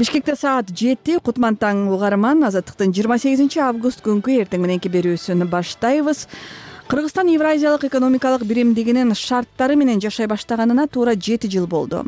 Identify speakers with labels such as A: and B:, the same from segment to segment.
A: Бишкекте саат 7 Кутман таң угарман. Азаттыктын 28 август күнкү эртең мененки берүүсүн баштайбыз. Кыргызстан Евразиялык экономикалык биримдигинин шарттары менен жашай баштаганына туура 7 жыл болду.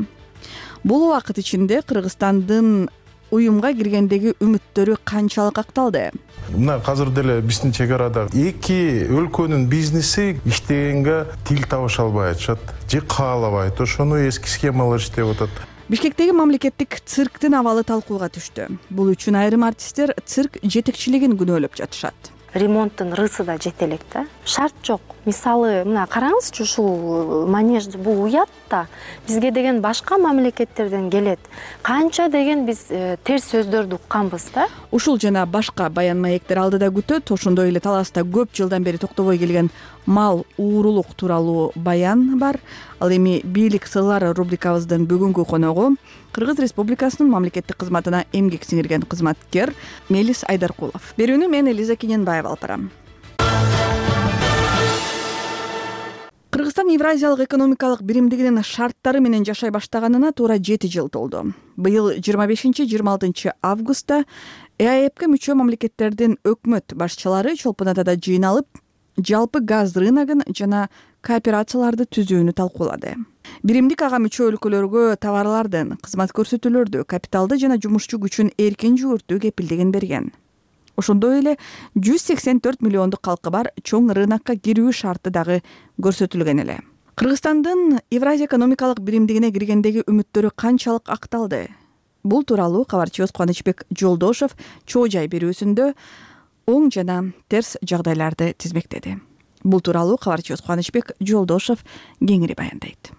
A: Бул убакыт ичинде Кыргызстандын уюмга киргендеги үмүттөрү канчалык акталды?
B: Мына азыр деле биздин чек арада эки өлкөнүн бизнеси иштегенге тил табыша албай атышат, же каалабайт. Ошону эски схемалар иштеп атат.
A: Бишкектеги мамлекеттик цирктин абалы талкууга түштү. Бул үчүн айрым артисттер цирк жетекчилигин күнөөлөп жатышат.
C: Ремонттун рысы да жете элек да. Шарт жок. Мисалы, мына караңызчы, ушул манеж бул уят да. Бизге деген башка мамлекеттерден келет. Канча деген биз терс сөздөрдү укканбыз да.
A: Ушул жана башка баян маектер алдыда күтөт. Ошондой эле Таласта көп жылдан бери токтобой келген мал уурулук тууралуу баян бар. Ал эми бийлик сырлары рубрикабыздын бүгүнкү коногу Кыргыз Республикасынын мамлекеттик кызматына эмгек сиңирген кызматкер Мелис Айдаркулов. Берүүнү мен Элиза Кененбаева алып барам. Кыргызстан Евразиялык экономикалык биримдигинин шарттары менен жашай баштаганына туура 7 жыл толду. Быйыл 25-26 августта ЭАЭПке мүчө мамлекеттердин өкмөт башчылары Чолпон Атада жыйналып, жалпы газ рыногун жана кооперацияларды түзүүнү талкуулады. Биримдик ага мүчө өлкөлөргө товарлардын, кызмат көрсөтүүлөрдү, капиталды жана жумушчу күчүн эркин жүгүртүү кепилдигин берген. Ошондой эле 184 миллиондук калкы бар чоң рынокко кирүү шарты дагы көрсөтүлгөн эле. Кыргызстандын Евразия экономикалык биримдигине киргендеги үмүттөрү канчалык акталды? Бул тууралуу кабарчыбыз Кубанычбек Жолдошов чоо жай берүүсүндө оң жана терс жагдайларды тизмектеди. Бул тууралуу кабарчыбыз Кубанычбек Жолдошов кеңири баяндайт.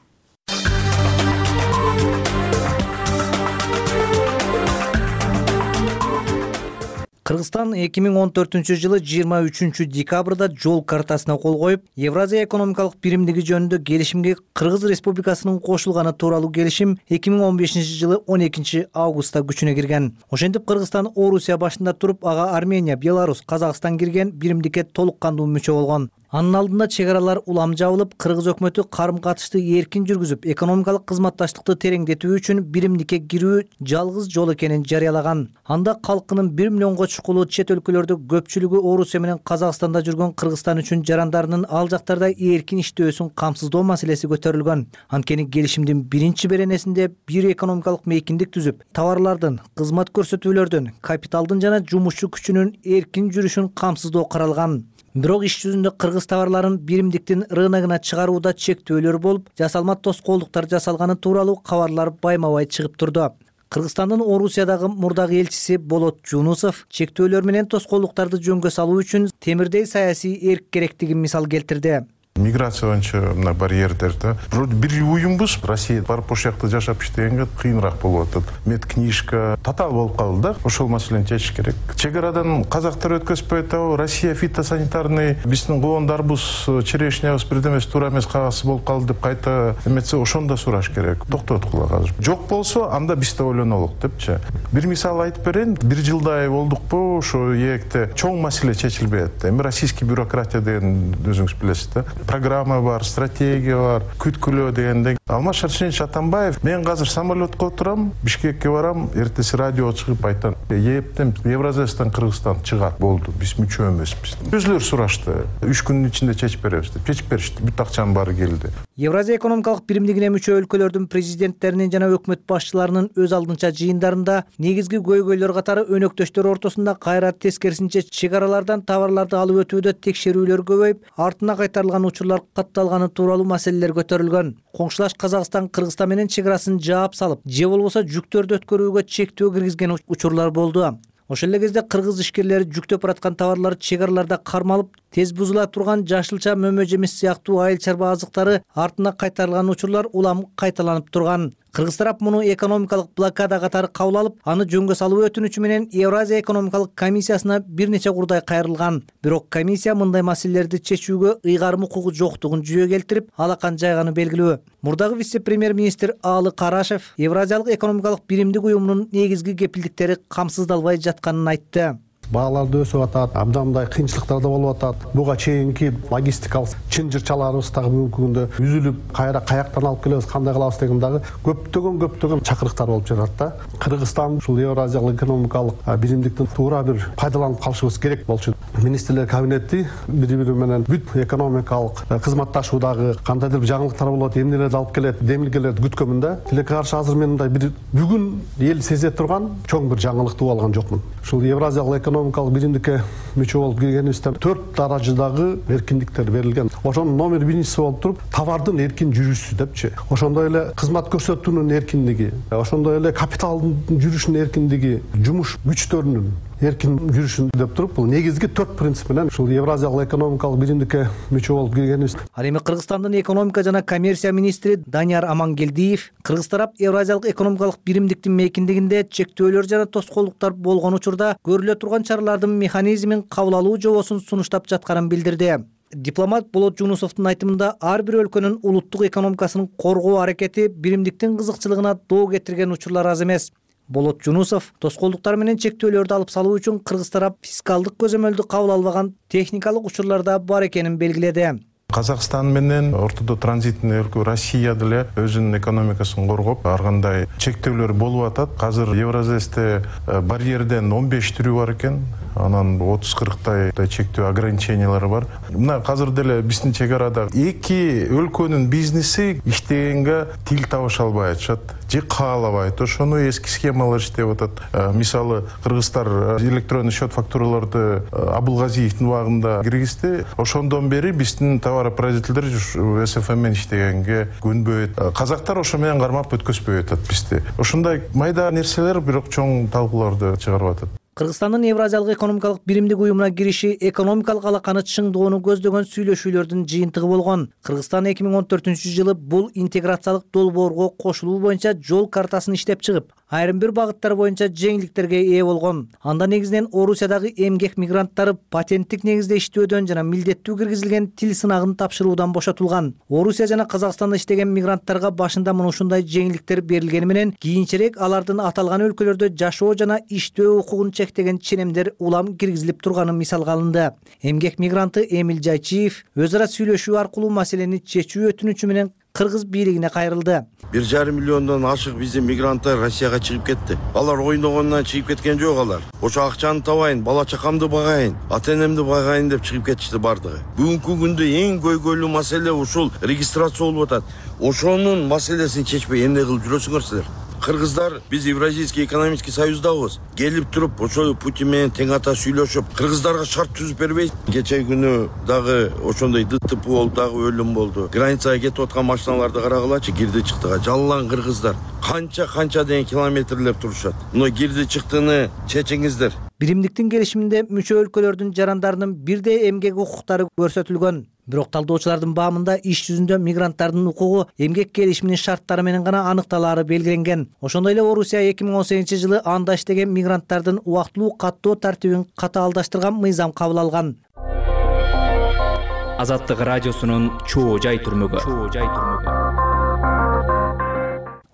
D: Кыргызстан 2014 жылы 23 декабрда жол картасына кол коюп, Евразия экономикалык биримдиги жөнүндө келишимге Кыргыз Республикасынын кошулганы тууралуу келишим 2015 жылы 12 августта күчүнө кирген. Ошентип Кыргызстан Орусия башында туруп, ага Армения, Беларусь, Казакстан кирген биримдикке толук кандуу мүчө болгон. Анын алдында чек аралар улам жабылып, Кыргыз өкмөтү карым-катышты эркин жүргүзүп, экономикалык кызматташтыкты тереңдетүү үчүн биримдикке кирүү жалгыз жол экенин жарыялаган. Анда калкынын 1 миллионго чукулуу чет өлкөлөрдө көпчүлүгү Орусия менен Казакстанда жүргөн Кыргызстан үчүн жарандарынын ал жактарда эркин иштөөсүн камсыздоо маселеси көтөрүлгөн. Анткени келишимдин биринчи беренесинде бир экономикалык мейкиндик түзүп, товарлардын, кызмат көрсөтүүлөрдүн, капиталдын жана жумушчу күчүнүн эркин жүрүшүн камсыздоо каралган. Бирок иш жүзүндө кыргыз товарларын биримдиктин рыногуна чыгарууда чектөөлөр болуп, жасалма тоскоолдуктар жасалганы тууралуу кабарлар байма-бай чыгып турду. Кыргызстандын Орусиядагы мурдагы элчиси Болот Жунусов чектөөлөр менен тоскоолдуктарды жөнгө салуу үчүн темирдей саясий эрк керектигин мисал келтирди.
B: Миграция боюнча мына барьердерди. Бир уюмбуз, Россия барып ошол жакта жашап иштегенге кыйыныраак болуп атат. Медкнижка татаал болуп калды да. Ошол маселени чечиш керек. Чек арадан казактар өткөзбөй атабы, Россия фитосанитарный биздин коондарыбыз, черешнябыз бирден эмес, туура эмес кагазсыз болуп калды деп кайта эметсе, ошону да сураш керек. Токтоткула азыр. Жок болсо, анда биз да ойлонолук депчи. Бир мисал айтып берейин. Бир жылдай болдукпу, ошо эекте чоң маселе чечилбей атты. Эми российский бюрократия деген өзүңүз билесиз да. Программа бар, стратегия бар, күткүлөө дегенден. Алмаз Шаршенович Атамбаев, мен азыр самолетко отурам, Бишкекке барам, эртеси радио чыгып айтам, ээптем Евразиядан Кыргызстан чыгат, болду, биз мүчө эмеспиз. Өзүлөр сурашты, 3 күндүн ичинде чечип беребиз деп. Чечип беришти, бүт акчанын баары келди.
D: Евразия экономикалык биримдигине мүчө өлкөлөрдүн президенттеринин жана өкмөт башчыларынын өз алдынча жыйындарында негизги көйгөйлөр катары өнөктөштөр ортосунда кайра тескерисинче чек аралардан товарларды алып өтүүдө текшерүүлөр көбөйүп, артына кайтарылган учурлар катталганы тууралуу маселелер көтөрүлгөн. Коңшулаш Казакстан Кыргызстан менен чек арасын жаап салып, же болбосо жүктөрдү өткөрүүгө чектөө киргизген учурлар болду. Ошол эле кезде кыргыз ишкерлери жүктөп бараткан товарлар чек араларда кармалып, тез бузула турган жашылча мөмө жемиш сыяктуу айыл чарба азыктары артына кайтарылган учурлар улам кайталанып турган. Кыргыз тарап муну экономикалык блокада катары кабыл алып, аны жөнгө салуу өтүнүчү менен Евразия экономикалык комиссиясына бир нече курдай кайрылган. Бирок комиссия мындай маселелерди чечүүгө ыйгарым укугу жоктугун жүйө келтирип, алакан жайганы белгилүү. Мурдагы вице-премьер-министр Аалы Карашев Евразиялык экономикалык биримдик уюмунун негизги кепилдиктери камсыздалбай жатканын айтты.
E: бааларды өсүп атат, абдан мындай кыйынчылыктар да болуп атат. Буга чейинки логистикалык чынжырчаларыбыз дагы бүгүнкү күндө үзүлүп, каяктан алып келебиз, кандай кылабыз деген дагы көптөгөн чакырыктар болуп жатат да. Кыргызстан ушул Евразиялык экономикалык биримдиктин туура бир пайдаланып калышыбыз керек болчу. Министрлер кабинети бири-бири менен бүт экономикалык кызматташуудагы кандайдыр бир жаңылыктар болот, эмнелерди алып келет, демилгелерди күткөнмүн да. Тилекке каршы азыр мен мындай бир бүгүн эл сезе турган чоң бир жаңылыкты алган жокмун. Ушул Евразиялык экономикалык биримдикке мүчө болуп киргенибизде 4 даражадагы эркиндиктер берилген. Ошонун номер биринчиси болуп туруп товардын эркин жүрүшү депчи. Ошондой эле кызмат көрсөтүүнүн эркиндиги, ошондой эле капиталдын жүрүшүнүн эркиндиги, жумуш күчтөрүнүн эркин жүрүшүн деп туруп, бул негизги 4 принцип менен ушул Евразиялык экономикалык биримдикке мүчө болуп киргенибиз.
D: Ал эми Кыргызстандын экономика жана коммерция министри Данияр Амангелдиев Кыргыз тарап Евразиялык экономикалык биримдиктин мейкиндигинде чектөөлөр жана тоскоолдуктар болгон учурда көрүлө турган чаралардын механизмин кабыл алуу жобосун сунуштап жатканын билдирди. Дипломат Болот Жунусовдун айтымында ар бир өлкөнүн улуттук экономикасын коргоо аракети биримдиктин кызыкчылыгына доо кетирген учурлар аз эмес. Болот Жунусов тоскоолдуктар менен чектөөлөрдү алып салуу үчүн Кыргыз тарап фискалдык көзөмөлдү кабыл албаган техникалык учурларда бар экенин белгиледи.
B: Казакстан менен ортодо транзитный өлкө Россия деле өзүнүн экономикасын коргоп, ар кандай чектөөлөр болуп атат. Азыр Евразесте барьерден 15 түрү бар экен. Анан 30-40 чектөө ограничениялары бар. Мына азыр деле биздин чек арада эки өлкөнүн бизнеси иштегенге тил табыша албай атышат, же каалабайт. Ошону эски схемалар иштеп атат. Мисалы кыргыздар электронный счет фактураларды Абылгазиевдин убагында киргизди. Ошондон бери биздин товаропроизводителдер СФМ менен иштегенге көнбөйт. Казактар ошо менен кармап өткөзбөй атат бизди. Ошондой майда нерселер бирок чоң талкууларды чыгарып атат.
D: Кыргызстандын Евразиялык экономикалык биримдик уюмуна кириши экономикалык алаканы чыңдоону көздөгөн сүйлөшүүлөрдүн жыйынтыгы болгон. Кыргызстан 2014-жылы бул интеграциялык долбоорго кошулуу боюнча жол картасын иштеп чыгып, айрым бир багыттар боюнча жеңилдиктерге ээ болгон. Анда негизинен Орусиядагы эмгек мигранттары патенттик негизде иштөөдөн жана милдеттүү киргизилген тил сынагын тапшыруудан бошотулган. Орусия жана Казакстанда иштеген мигранттарга башында мына ушундай жеңилдиктер берилгени менен кийинчерээк алардын аталган өлкөлөрдө жашоо жана иштөө укугун чектеген ченемдер улам киргизилип турганы мисалга алынды. Эмгек мигранты Эмил Жайчиев өз ара сүйлөшүү аркылуу маселени чечүү өтүнүчү менен кыргыз бийлигине кайрылды.
F: 1,5 миллиондон ашык биздин мигранттар Россияга чыгып кетти. Алар ойногондон чыгып кеткен жок алар. Ошо акчаны табайын, бала чакамды багайын, ата-энемди багайын деп чыгып кетишти бардыгы. Бүгүнкү күндө эң көйгөйлүү маселе ушул регистрация болуп атат. Ошонун маселесин чечпей эмне кылып жүрөсүңөр силер? Кыргыздар биз Евразийский экономический союздабыз. Келип туруп ошол Путин менен тең ата сүйлөшүп, кыргыздарга шарт түзүп бербейт. Кече күнү дагы ошондой ДТП болду, дагы өлүм болду. Границага кетип аткан машиналарды карагылачы, кирди чыктыга жаллан кыргыздар. Канча деген километрлеп турушат. Мына кирди чыктыны чечиңиздер.
D: Биримдиктин келишиминде мүчө өлкөлөрдүн жарандарынын бирдей эмгек укуктары көрсөтүлгөн. Бирок талдоочулардын баамында иш жүзүндө мигранттардын укугу эмгек келишиминин шарттары менен гана аныкталаары белгиленген. Ошондой эле Орусия 2018-жылы анда иштеген мигранттардын убактылуу каттоо тартибин катаалдаштырган мыйзам кабыл алган.
G: Азаттык радиосунун чоо жай түрмөгү.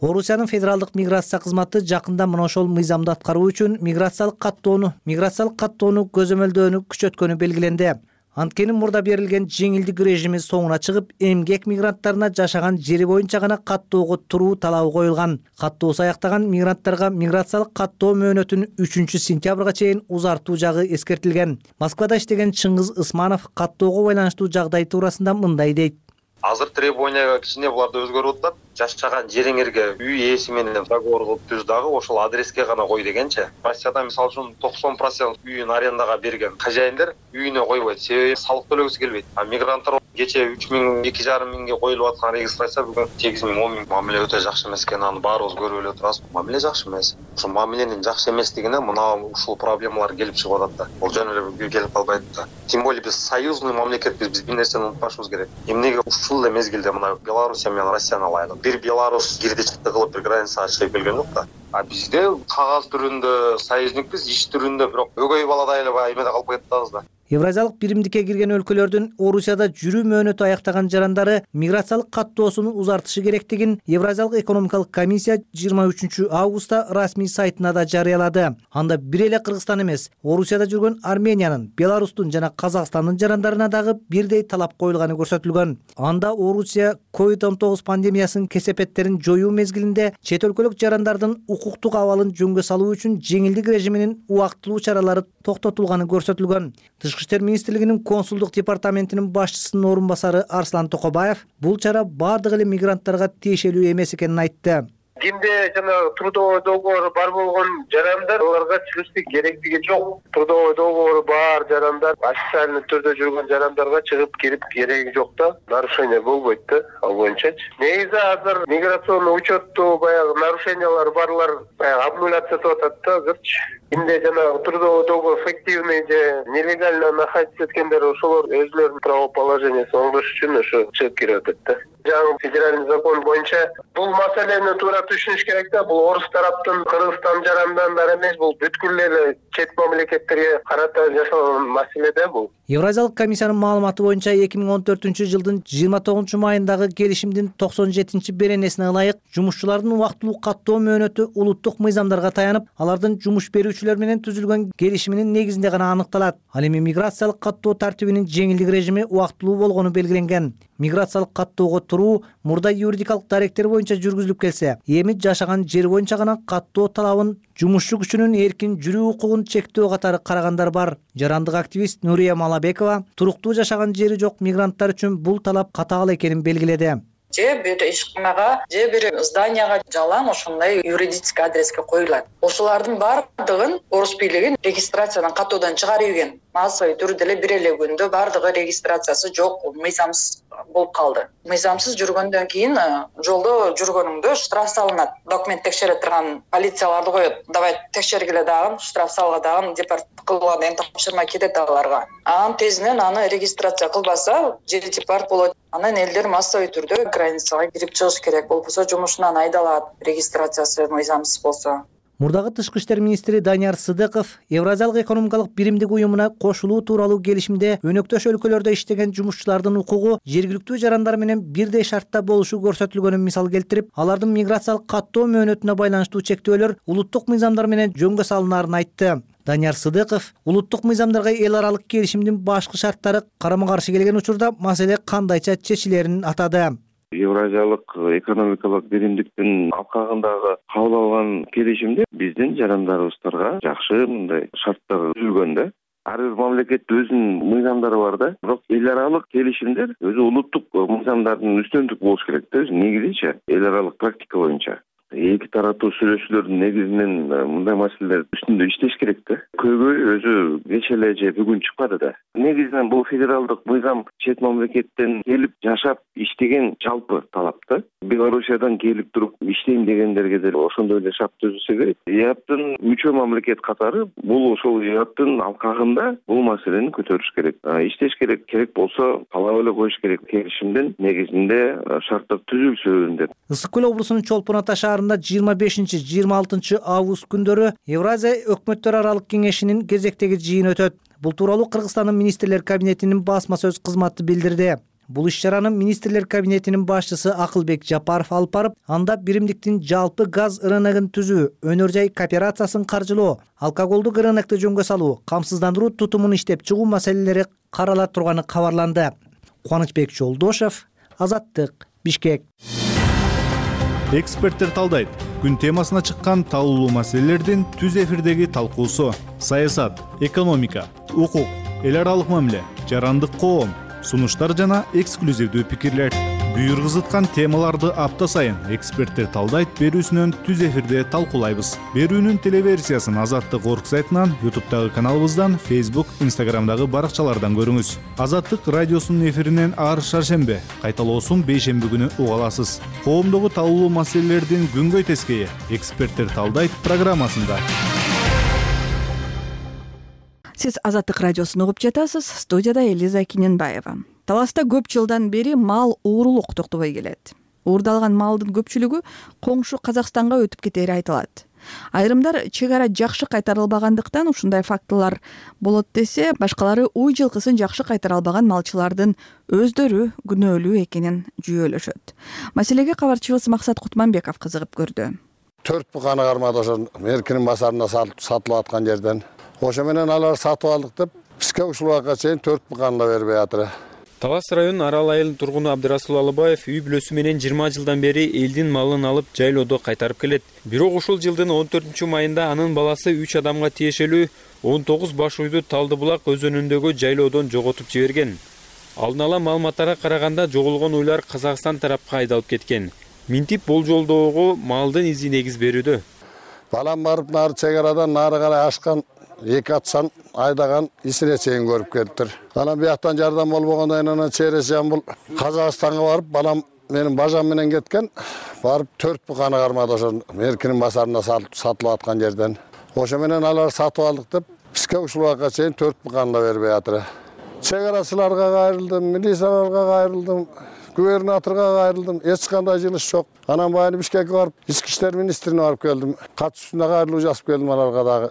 D: Орусиянын федералдык миграция кызматы жакында мына ошол мыйзамды аткаруу үчүн миграциялык каттоону көзөмөлдөөнү күчөткөнү белгиленди. Анткени мурда берилген жеңилдик режими соңуна чыгып, эмгек мигранттарына жашаган жери боюнча гана каттоого туруу талабы коюлган. Каттоосу аяктаган мигранттарга миграциялык каттоо мөөнөтүн 3-сентябрга чейин узартуу жагы эскертилген. Москвада иштеген Чыңгыз Ысманов каттоого байланыштуу жагдай туурасында мындай дейт.
H: Азыр требованияга кичине буларда өзгөрүп атат. Жашаган жериңерге үй ээси менен договор кылып түз дагы ошол адреске гана кой дегенчи. Россияда мисалы үчүн 90% үйүн арендага берген хозяиндер үйүнө койбойт. Себеби салык төлөгүсү келбейт. А мигранттар кече 3,000, 2,5 миңге коюлуп аткан регистрация бүгүн 8,000, 10,000. Мамиле өтө жакшы эмес экен, аны баарыбыз көрүп эле турабыз. Мамиле жакшы эмес. Ошо мамиленин жакшы эместигине мына ушул проблемалар келип чыгып атат да. Бул жөн эле келип калбайт да. Тем более биз союзный мамлекетпиз, биз бир нерсени унутпашыбыз керек. Эмнеге ушул эле мезгилде мына Белоруссия менен Россияны алайлык. Бир Беларусь кирди чыкты кылып бир границага чыгып келген жок да. А бизде кагаз түрүндө союзникпиз, иш түрүндө бирок өгөй баладай эле эмеде калып кетебиз да.
D: Евразиялык биримдикке кирген өлкөлөрдүн Орусияда жүрүү мөөнөтү аяктаган жарандары миграциялык каттоосун узартышы керектигин Евразиялык экономикалык комиссия 23 августта расмий сайтына да жарыялады. Анда бир эле Кыргызстан эмес, Орусияда жүргөн Армениянын, Беларустун жана Казакстандын жарандарына дагы бирдей талап коюлганы көрсөтүлгөн. Анда Орусия COVID-19 пандемиясынын кесепеттерин жоюу мезгилинде чет өлкөлүк жарандардын укуктук абалын жөнгө салуу үчүн жеңилдик режиминин убактылуу чаралары токтотулганы көрсөтүлгөн. Тышкы иштер министрлигинин консулдук департаментинин башчысынын орун басары Арслан Токобаев бул чара бардык эле мигранттарга тиешелүү эмес экенин айтты.
I: Кимде жана трудовой договору бар болгон жарандар аларга чыгыштын керектиги жок. Трудовой договору бар жарандар официальный түрдө жүргөн жарандарга чыгып кирип кереги жок да. Нарушение болбойт да ал боюнчачы. Негизи азыр миграционный учетту баягы нарушениялар барлар обнуляция болуп атат да азырчы. Кимде жана трудовой договор фиктивный же нелегально находиться эткендер ошолор өзүлөрүнүн правоположениесин оңдош үчүн ошо чыгып кирип атат да. Жаңы федеральный закон боюнча бул маселени туура түшүнүш керек да. Бул орус тараптын Кыргызстан жарандарына эмес, бул бүткүл эле чет мамлекеттерге карата жасалган маселе да бул.
D: Евразиялык комиссиянын маалыматы боюнча 2014 жылдын 29 майындагы келишимдин 97 беренесине ылайык жумушчулардын убактылуу каттоо мөөнөтү улуттук мыйзамдарга таянып, алардын жумуш берүүчүлөр менен түзүлгөн келишиминин негизинде гана аныкталат. Ал эми миграциялык каттоо тартибинин жеңилдик режими убактылуу болгону белгиленген. Миграциялык каттоого туруу мурда юридикалык даректер боюнча жүргүзүлүп келсе, эми жашаган жер боюнча гана каттоо талабын жумушчу күчүнүн эркин жүрүү укугун чектөө катары карагандар бар. Жарандык активист Нурия Малабекова туруктуу жашаган жери жок мигранттар үчүн бул талап катаал экенин белгиледи.
J: Же бир ишканага, же бир зданияга жалаң ошондой юридический адреске коюлат. Ошолордун бардыгын орус бийлиги регистрациядан каттоодон чыгарып ийген. Массовый түрдө эле бир эле күндө бардыгы регистрациясы жок, мыйзамсыз болуп калды. Мыйзамсыз жүргөндөн кийин жолдо жүргөнүңдө штраф салынат. Документ текшере турган полицияларды коет. Давай текшергиле дагы, штраф салга дагы депорт кылган деген тапшырма кетет аларга. Анан тезинен аны регистрация кылбаса, жер депорт болот. Анан элдер массовый түрдө границага кирип чыгыш керек. Болбосо жумушунан айдалат, регистрациясы мыйзамсыз болсо.
D: Мурдагы тышкы иштер министри Данияр Сыдыков Евразиялык экономикалык биримдик уюмуна кошулуу тууралуу келишимде өнөктөш өлкөлөрдө иштеген жумушчулардын укугу жергиликтүү жарандар менен бирдей шартта болушу көрсөтүлгөнүн мисал келтирип, алардын миграциялык каттоо мөөнөтүнө байланыштуу чектөөлөр улуттук мыйзамдар менен жөнгө салынаарын айтты. Данияр Сыдыков улуттук мыйзамдарга эл аралык келишимдин башкы шарттары карама-каршы келген учурда маселе кандайча чечилерин атады.
K: Евразиялык экономикалык биримдиктин алкагындагы кабыл алган келишимде биздин жарандарыбыздарга жакшы мындай шарттар түзүлгөн да. Ар бир мамлекеттин өзүнүн мыйзамдары бар да. Бирок эл аралык келишимдер өзү улуттук мыйзамдардын үстөндүк болуш керек да. Негизинче эл аралык практика боюнча. Эки тараптуу сүйлөшүүлөрдүн негизинен мындай маселелер үстүндө иштеш керек да. Көйгөй өзү кече эле же бүгүн чыкпады да. Негизинен бул федералдык мыйзам чет мамлекеттен келип жашап иштеген жалпы талап да. Белоруссиядан келип туруп иштейм дегендерге деле ошондой эле шарт түзүлсө керек. ЕАПтын мүчө мамлекет катары бул ошол ЕАПтын алкагында бул маселени көтөрүш керек. Иштеш керек, керек болсо талап эле коюш керек. Келишимдин негизинде шарттар түзүлсүн деп.
D: Ысык көл облусунун Чолпон Ата шаарында 25-26 август күндөрү Евразия өкмөттөр аралык кеңешинин кезектеги жыйыны өтөт. Бул тууралуу Кыргызстандын министрлер кабинетинин басма сөз кызматы билдирди. Бул иш-чараны министрлер кабинетинин башчысы Акылбек Жапаров алып барып, анда биримдиктин жалпы газ рыногун түзүү, өнөр жай кооперациясын каржылоо, алкоголдук рынокду жөнгө салуу, камсыздандыруу тутумун иштеп чыгуу маселелери карала турганы кабарланды. Кубанычбек Жолдошев, Азаттык, Бишкек.
L: Эксперттер талдайт. Күн темасына чыккан талкуулуу маселелердин түз эфирдеги талкуусу: саясат, экономика, укук, эл аралык мамиле, жарандык коом, сунуштар жана эксклюзивдүү пикирлер. Буйргызыткан темаларды апта сайын эксперттер талдайт берүүсүнөн түз эфирде талкуулайбыз. Берүүнүн телеверсиясын Азаттык орг сайтынан, YouTube'дагы каналыбыздан, Facebook, Instagram'дагы баракчалардан көрүңүз. Азаттык радиосунун эфиринен ар шаршембе, кайталоосун бейшемби күнү уга аласыз. Коомдогу талкуулуу маселелердин күнгөй тескейи эксперттер талдайт программасында.
A: Сиз Азаттык радиосун угуп жатасыз. Студияда Элиза Киненбаева. Таласта көп жылдан бери мал уурулук токтобой келет. Уурдалган малдын көпчүлүгү коңшу Казакстанга өтүп кетери айтылат. Айрымдар чек ара жакшы кайтарылбагандыктан ушундай фактылар болот десе, башкалары уй жылкысын жакшы кайтара албаган малчылардын өздөрү күнөөлүү экенин жүйөлөшөт. Маселеге кабарчыбыз Максат Кутманбеков кызыгып көрдү.
M: 4 буканы кармады ошо Меркинин базарында сатылып аткан жерден. Ошо менен алар сатып алдык деп бизге ушул убакка чейин 4 буканы да бербей атыр.
N: Талас районунун Арал айылынын тургуну Абдырасул Алыбаев үй бүлөсү менен 20 жылдан бери элдин малын алып жайлоодо кайтарып келет. Бирок ушул жылдын 14-майында анын баласы 3 адамга тиешелүү 19 баш уйду Талдыбулак өзөнүндөгү жайлоодон жоготуп жиберген. Алдын ала маалыматтарга караганда жоголгон уйлар Казакстан тарапка айдалып кеткен. Минтип болжолдоого малдын изи негиз берүүдө.
M: Балам барып нары чек арадан нары карай ашкан 2 атсан айдаган исине чейин көрүп келиптир. Анан бияктан жардам болбогондон анан чересен бул Казакстанга барып, балам менин бажам менен кеткен. Барып 4 буканы кармады ошо Меркинин базарында сатылып аткан жерден. Ошо менен алар сатып алдык деп бизге ушул убакка чейин 4 буканы да бербей атыр. Чек арачыларга кайрылдым, милицияларга кайрылдым, губернаторга кайрылдым, эч кандай жылыш жок. Анан байы Бишкекке барып, ички иштер министрине барып келдим. Катчысына кайрылуу жазып келдим аларга дагы.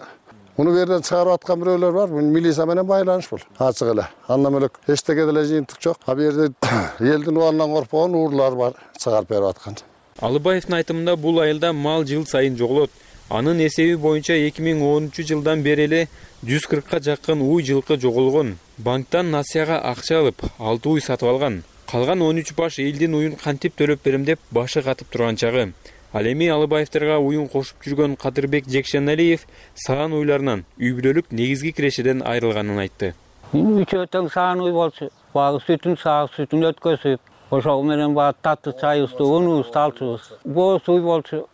M: Муну берден чыгарып аткан бирөөлөр бар. Бул милиция менен байланыш бул. Ачык эле. Андан бөлөк эчтеке деле жыйынтык жок. А бу жерде элдин убалынан коркпогон уурлар бар, чыгарып берип аткан.
N: Алыбаевдин айтымында бул айылда мал жыл сайын жоголот. Анын эсеби боюнча 2010-жылдан бери эле 140ка жакын уй жылкы жоголгон. Банктан насыяга акча алып, 6 уй сатып алган. Калган 13 баш элдин уйун кантип төлөп берем деп башы катып турган чагы. Ал эми Алыбаевтерге уюн кошуп жүргөн Кадырбек Жекшеналиев саан уйларынан үй бүлөлүк негизги кирешеден айрылганын айтты.
O: Үчөө тең саан уй болчу, багы сүтүн саак сүтүн өткөзүп, ошол менен багы татты чайыбызды, унубузду алчубуз. Боз уй болчу.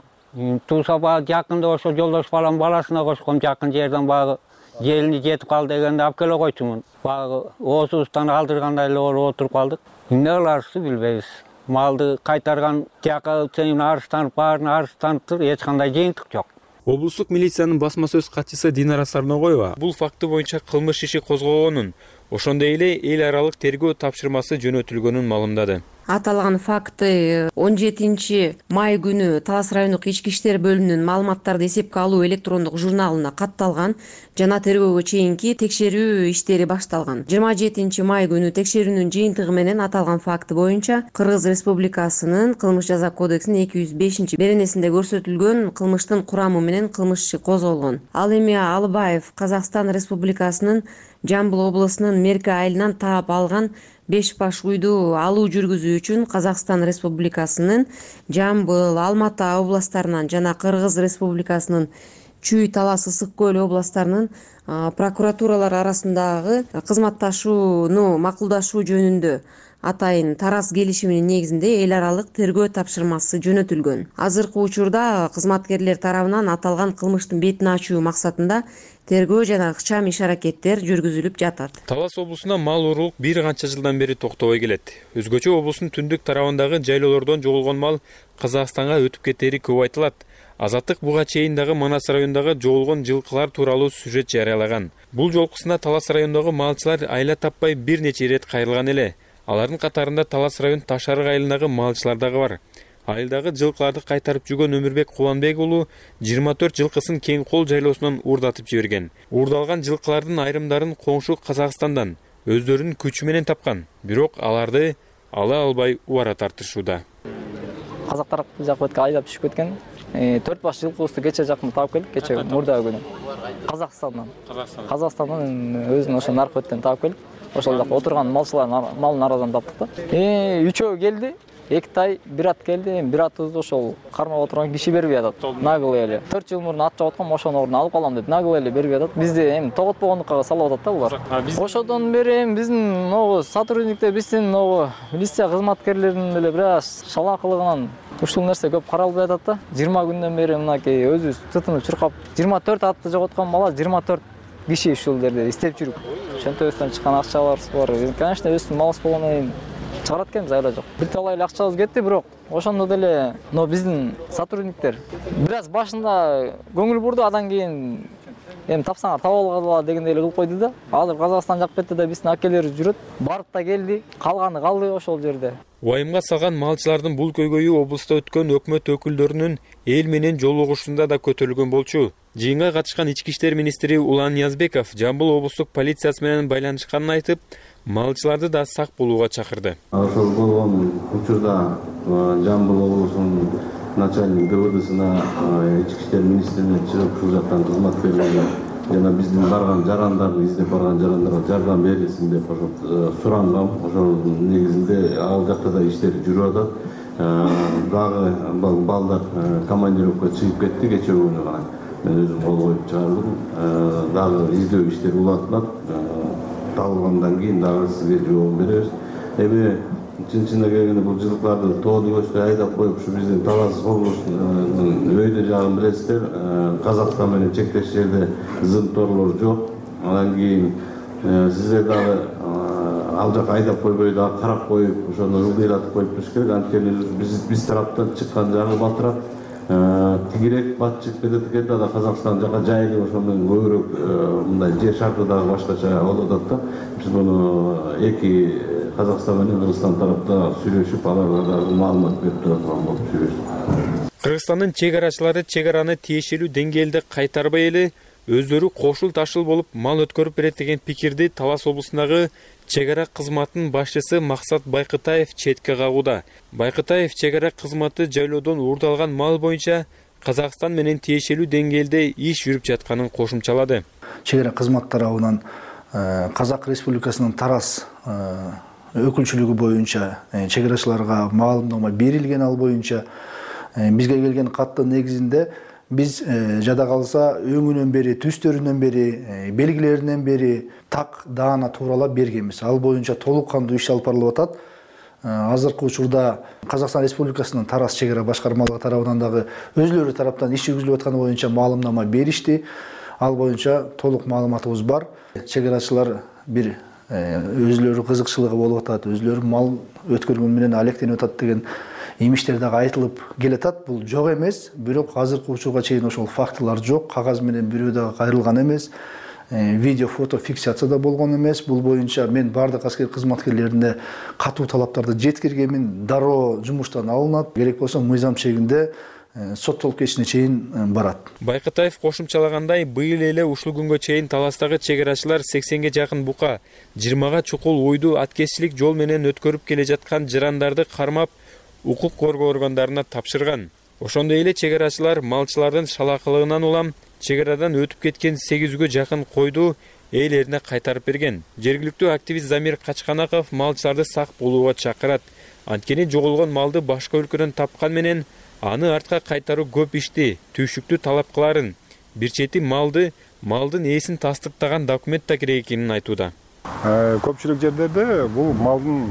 O: Туса багы жакында ошо жолдош балам баласына кошком жакын жерден багы желини жетип кал дегенде алып келе койчумун. Багы оозубуздан алдыргандай эле отуруп калдык. Эмне кыларыбызды билбейбиз. Малды кайтарган жакка чейин арызданып, баарын арызданыптыр, эч кандай жыйынтык жок.
N: Облустук милициянын басма сөз катчысы Динара Сарногоева бул факты боюнча кылмыш иши козгогонун, ошондой эле эл аралык тергөө тапшырмасы жөнөтүлгөнүн маалымдады.
P: Аталган факты 17 май күнү Талас райондук ички иштер бөлүмүнүн маалыматтарды эсепке алуу электрондук журналына катталган жана тергөөгө чейинки текшерүү иштери башталган. 27 май күнү текшерүүнүн жыйынтыгы менен аталган факты боюнча Кыргыз Республикасынын кылмыш жаза кодексинин 205-беренесинде көрсөтүлгөн кылмыштын курамы менен кылмыш иши козголгон. Ал эми Алыбаев Казакстан Республикасынын Жамбыл облусунун Мерки айылынан таап алган 5 баш уйду алуу жүргүзүү үчүн Казакстан Республикасынын Жамбыл, Алматы областарынан жана Кыргыз Республикасынын Чүй, Талас, Ысык көл областарынын прокуратуралар арасындагы кызматташууну макулдашуу жөнүндө атайын тараз келишиминин негизинде эл аралык тергөө тапшырмасы жөнөтүлгөн. Азыркы учурда кызматкерлер тарабынан аталган кылмыштын бетин ачуу максатында тергөө жана ыкчам иш-аракеттер жүргүзүлүп жатат.
N: Талас облусуна мал уруулук бир канча жылдан бери токтобой келет. Өзгөчө облустун түндүк тарабындагы жайлоолордон жоголгон мал Казакстанга өтүп кетери көп айтылат. Азаттык буга чейин дагы Манас районундагы жоголгон жылкылар тууралуу сюжет жарыялаган. Бул жолкусуна Талас районундагы малчылар айла таппай бир нече ирет кайрылган эле. Алардын катарында Талас район Ташарык айылындагы малчылар дагы бар. Айылдагы жылкыларды кайтарып жүргөн Өмүрбек Куланбек уулу 24 жылкысын Кең кол жайлоосунан уурдатып жиберген. Уурдалган жылкылардын айрымдарын коңшу Казакстандан өздөрүнүн күчү менен тапкан. Бирок аларды ала албай убара тартышууда.
Q: Казактар жак бетке айдап түшүп кеткен. 4 баш жылкыбызды кече жакын таап келдик, кече мурда күнү. Казакстандан өзүнүн ошо наркы беттен таап келип, ошол жакта отурган малчылардын малын арадан таптык да. Үчөө келди. 2 тай, 1 ат келди. 1 атыбызды ошол кармап отурган киши бербей атат. Наглый эле. 4 жыл мурун ат жоготкон, ошонун ордуна алып калам деп наглый эле бербей атат. Бизди эми тоготпогондукка салып атат да булар. Ошодон бери биздин могу сотрудниктер, биздин могу милиция кызматкерлеринин эле бир аз шалаакылыгынан ушул нерсе көп каралбай атат да. 20 күндөн бери мынакей өзүбүз тытынып чуркап 24 атты жоготкон бала 24 киши ушул жерде издеп жүрүп. Чөнтөбүздөн чыккан акчаларыбыз бар. Конечно, өздүн малыбыз болгондон кийин чыгарат экенбиз, айла жок. Бир талай эле акчабыз кетти, бирок ошондо деле биздин сотрудниктер бир аз башында көңүл бурду, андан кийин эми тапсаңар таап алгыла дегендей эле кылып койду да. Азыр Казакстан жак бетте да биздин акелер жүрөт. Барып да келди, калганы калды ошол жерде.
N: Уайымга салган малчылардын бул көйгөйү облусту өткөн өкмөт өкүлдөрүнүн эл менен жолугушуусунда да көтөрүлгөн болчу. Жыйынга катышкан ички иштер министри Улан Ниязбеков Жамбыл облустук полициясы менен байланышканын айтып, малчыларды да сак болууга чакырды.
R: Ошол болгон учурда Жамбыл облусунун начальник ДВДсына ички иштер министрине чыгып ушул жактан кызматкерлерге жана биздин барган жарандарды издеп барган жарандарга жардам берилсин деп ошо сурангам. Ошол негизинде ал жакта да иштер жүрүп атат. Дагы балдар командировка чыгып кетти кечээ күнү гана. Мен өзүм кол коюп чыгардым. Дагы издөө иштери улантылат. Табылгандан кийин дагы сизге жооп беребиз. Эми чын-чынына келгенде бул жылкыларды тоодо көчтө айдап коюп ушу биздин Талас облусунун өйдө жагын билесиздер. Казакстан менен чектеш жерде зымторлор жок. Андан кийин сиздер дагы ал жака айдап койбой дагы карап коюп, ошону ылдыйратып коюп туруш керек. Анткени биз тараптан чыккан жагы батыраак. Тигирээк бат чыгып кетет экен да Казакстан жака жайылып ошондон көбүрөөк мындай жер шарты дагы башкача болуп атат да. Биз муну эки Казакстан менен Кыргызстан тарапта сүйлөшүп, аларга дагы маалымат берип турган болуп сүйлөшүп.
N: Кыргызстандын чек арачылары чек араны тиешелүү деңгээлде кайтарбай эле өздөрү кошул ташыл болуп мал өткөрүп берет деген пикирди Талас облусундагы чек ара кызматынын башчысы Максат Байкытаев четке кагууда. Байкытаев чек ара кызматы жайлоодон уурдалган мал боюнча Казакстан менен тиешелүү деңгээлде иш жүрүп жатканын кошумчалады.
S: Чек ара кызмат тарабынан Казак Республикасынын Тарас өкүлчүлүгү боюнча чек арачыларга маалымдама берилген, ал боюнча бизге келген каттын негизинде биз жада калса өңүнөн бери, түстөрүнөн бери, белгилеринен бери так даана тууралап бергенбиз. Ал боюнча толук кандуу иш алып барылып атат. Азыркы учурда Казакстан Республикасынын Тарас чек ара башкармалыгы тарабынан дагы өзлөрү тараптан иш жүргүзүлүп атканы боюнча маалымдама беришти. Ал боюнча толук маалыматыбыз бар. Чек арачылар бир өзлөрү кызыкчылыгы болуп атат, өзлөрү мал өткөргөн менен алектенип атат деген имиштер дагы айтылып келатат. Бул жок эмес, бирок азыркы учурга чейин ошол фактылар жок. Кагаз менен бирөө дагы кайрылган эмес. Видео, фото фиксация да болгон эмес. Бул боюнча мен бардык аскер кызматкерлерине катуу талаптарды жеткиргенмин. Дароо жумуштан алынат. Керек болсо мыйзам чегинде соттолуп кетишине чейин барат.
N: Байкытаев кошумчалагандай, быйыл эле ушул күнгө чейин Таластагы чек арачылар 80ге жакын бука, 20га чукул уйду аткезчилик жол менен өткөрүп келе жаткан жарандарды кармап, укук коргоо органдарына тапшырган. Ошондой эле чек арачылар малчылардын шалакылыгынан улам чек арадан өтүп кеткен 800гө жакын койду ээлерине кайтарып берген. Жергиликтүү активист Замир Качканаков малчыларды сак болууга чакырат. Анткени жоголгон малды башка өлкөдөн тапкан менен аны артка кайтаруу көп ишти, түйшүктүү талап кыларын. Бир чети малдын ээсин тастыктаган документ да керек экенин айтууда.
T: Көпчүлүк жерлерде бул малдын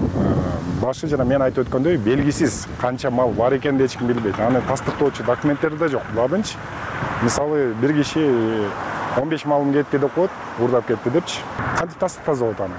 T: башы жана мен айтып өткөндөй белгисиз канча мал бар экенин эч ким билбейт. Аны тастыктоочу документтер да жок. Буладынчы мисалы бир киши 15 малым кетти деп коет, уурдап кетти депчи. Кантип тастыктазабот аны?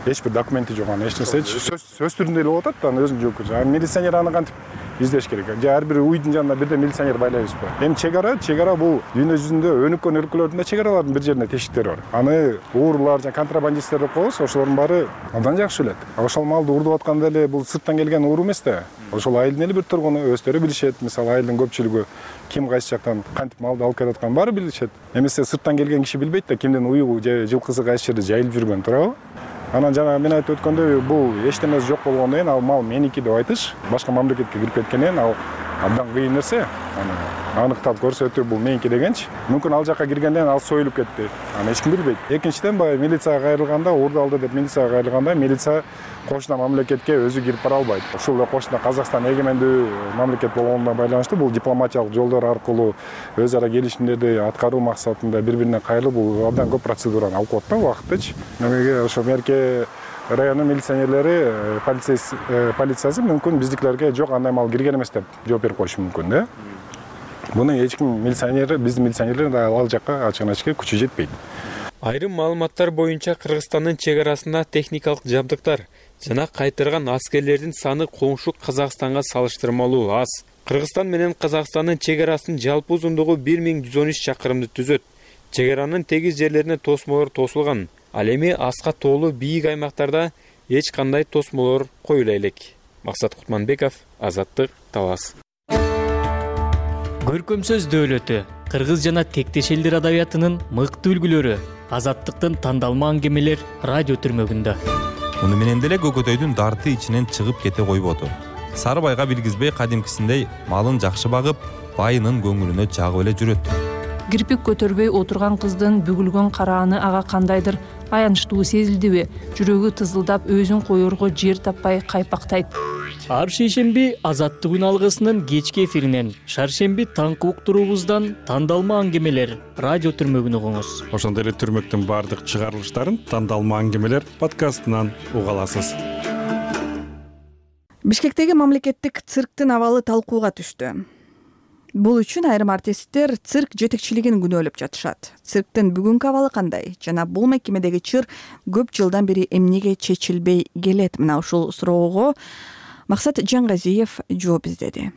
T: Эч бир документи жок, аны эч нерсечи. Сөз түрүндө эле болуп атат да, аны өзүнүн жоопкерчилиги. Милиционер аны кантип издеш керек? Же ар бир уйдун жанына бирден милиционер байлайбызбы? Эми чек ара бул дүйнө жүзүндө өнүккөн өлкөлөрдүн да чек аралардын бир жерине тешиктери бар. Аны уурулар жана контрабандисттер деп коебуз, ошолордун баары абдан жакшы билет. Ошол малды уурдап атканда эле бул сырттан келген ууру эмес да. Ошол айылдын эле бир тургуну өздөрү билишет. Мисалы айылдын көпчүлүгү ким кайсы жактан кантип малды алып келатканын баары билишет. Эмесе сырттан келген киши билбейт да кимдин уюгу же жылкысы кайсы жерде жайылып жүргөнүн, туурабы? Анан жана мен айтып өткөндөй бул эчтемеси жок болгондон кийин ал мал меники деп айтыш, башка мамлекетке кирип кеткенден ал абдан кыйын нерсе. Аныктап көрсөтүү бул меники дегенчи. Мүмкүн ал жакка киргенден ал союлуп кетти. Аны эч ким билбейт. Экинчиден баягы милицияга кайрылганда, уурдалды деп милицияга кайрылганда, милиция кошуна мамлекетке өзү кирип бара албайт. Ушул эле кошуна Казакстан эгемендүү мамлекет болгонуна байланыштуу бул дипломатиялык жолдор аркылуу өз ара келишимдерди аткаруу максатында бири-бирине кайрылып бул абдан көп процедураны алып коет да убакытчы. Мынеге ошо Мерке районунун милиционерлери, полициясы мүмкүн биздикилерге жок андай мал кирген эмес деп жооп берип коюшу мүмкүн да. Буну эч ким милиционер, биздин милиционерлер да ал жакка ачык-ачык күчү жетпейт.
N: Айрым маалыматтар боюнча Кыргызстандын чек арасында техникалык жабдыктар жана кайтарган аскерлердин саны коңшу Казакстанга салыштырмалуу аз. Кыргызстан менен Казакстандын чек арасынын жалпы узундугу 1113 чакырымды түзөт. чек аранын тегиз жерлерине тосмолор тосулган. Ал эми аска тоолуу бийик аймактарда эч кандай тосмолор коюла элек. Максат Кутманбеков, Азаттык, Талас.
G: Көркөм сөз дөөлөтү, кыргыз жана тектеш элдер адабиятынын мыкты үлгүлөрү, Азаттыктын тандалма аңгемелер радио түрмөгүндө.
U: Муну менен деле көкөтөйдүн дарты ичинен чыгып кете койбоду. Сарыбайга билгизбей кадимкисиндей малын жакшы багып, байынын көңүлүнө жагып эле жүрөт.
V: Кирпик көтөрбөй отурган кыздын бүгүлгөн карааны ага кандайдыр аянычтуу сезилдиби? Жүрөгү тызылдап, өзүн коерго жер таппай кайпактайт.
G: Ар шейшемби Азаттык алгысынын кечки эфиринен, шаршемби таңкы уктуруубуздан тандалма аңгемелер радио түрмөгүн угуңуз.
T: Ошондой эле түрмөктүн баардык чыгарылыштарын тандалма аңгемелер подкастынан уга аласыз.
A: Бишкектеги мамлекеттик цирктин абалы талкууга түштү. Бул үчүн айрым артисттер цирк жетекчилигин күнөөлөп жатышат. Цирктин бүгүнкү абалы кандай? Жана бул мекемедеги чыр көп жылдан бери эмнеге чечилбей келет? Мына ушул суроого Максат Жаңгазиев жооп издеди.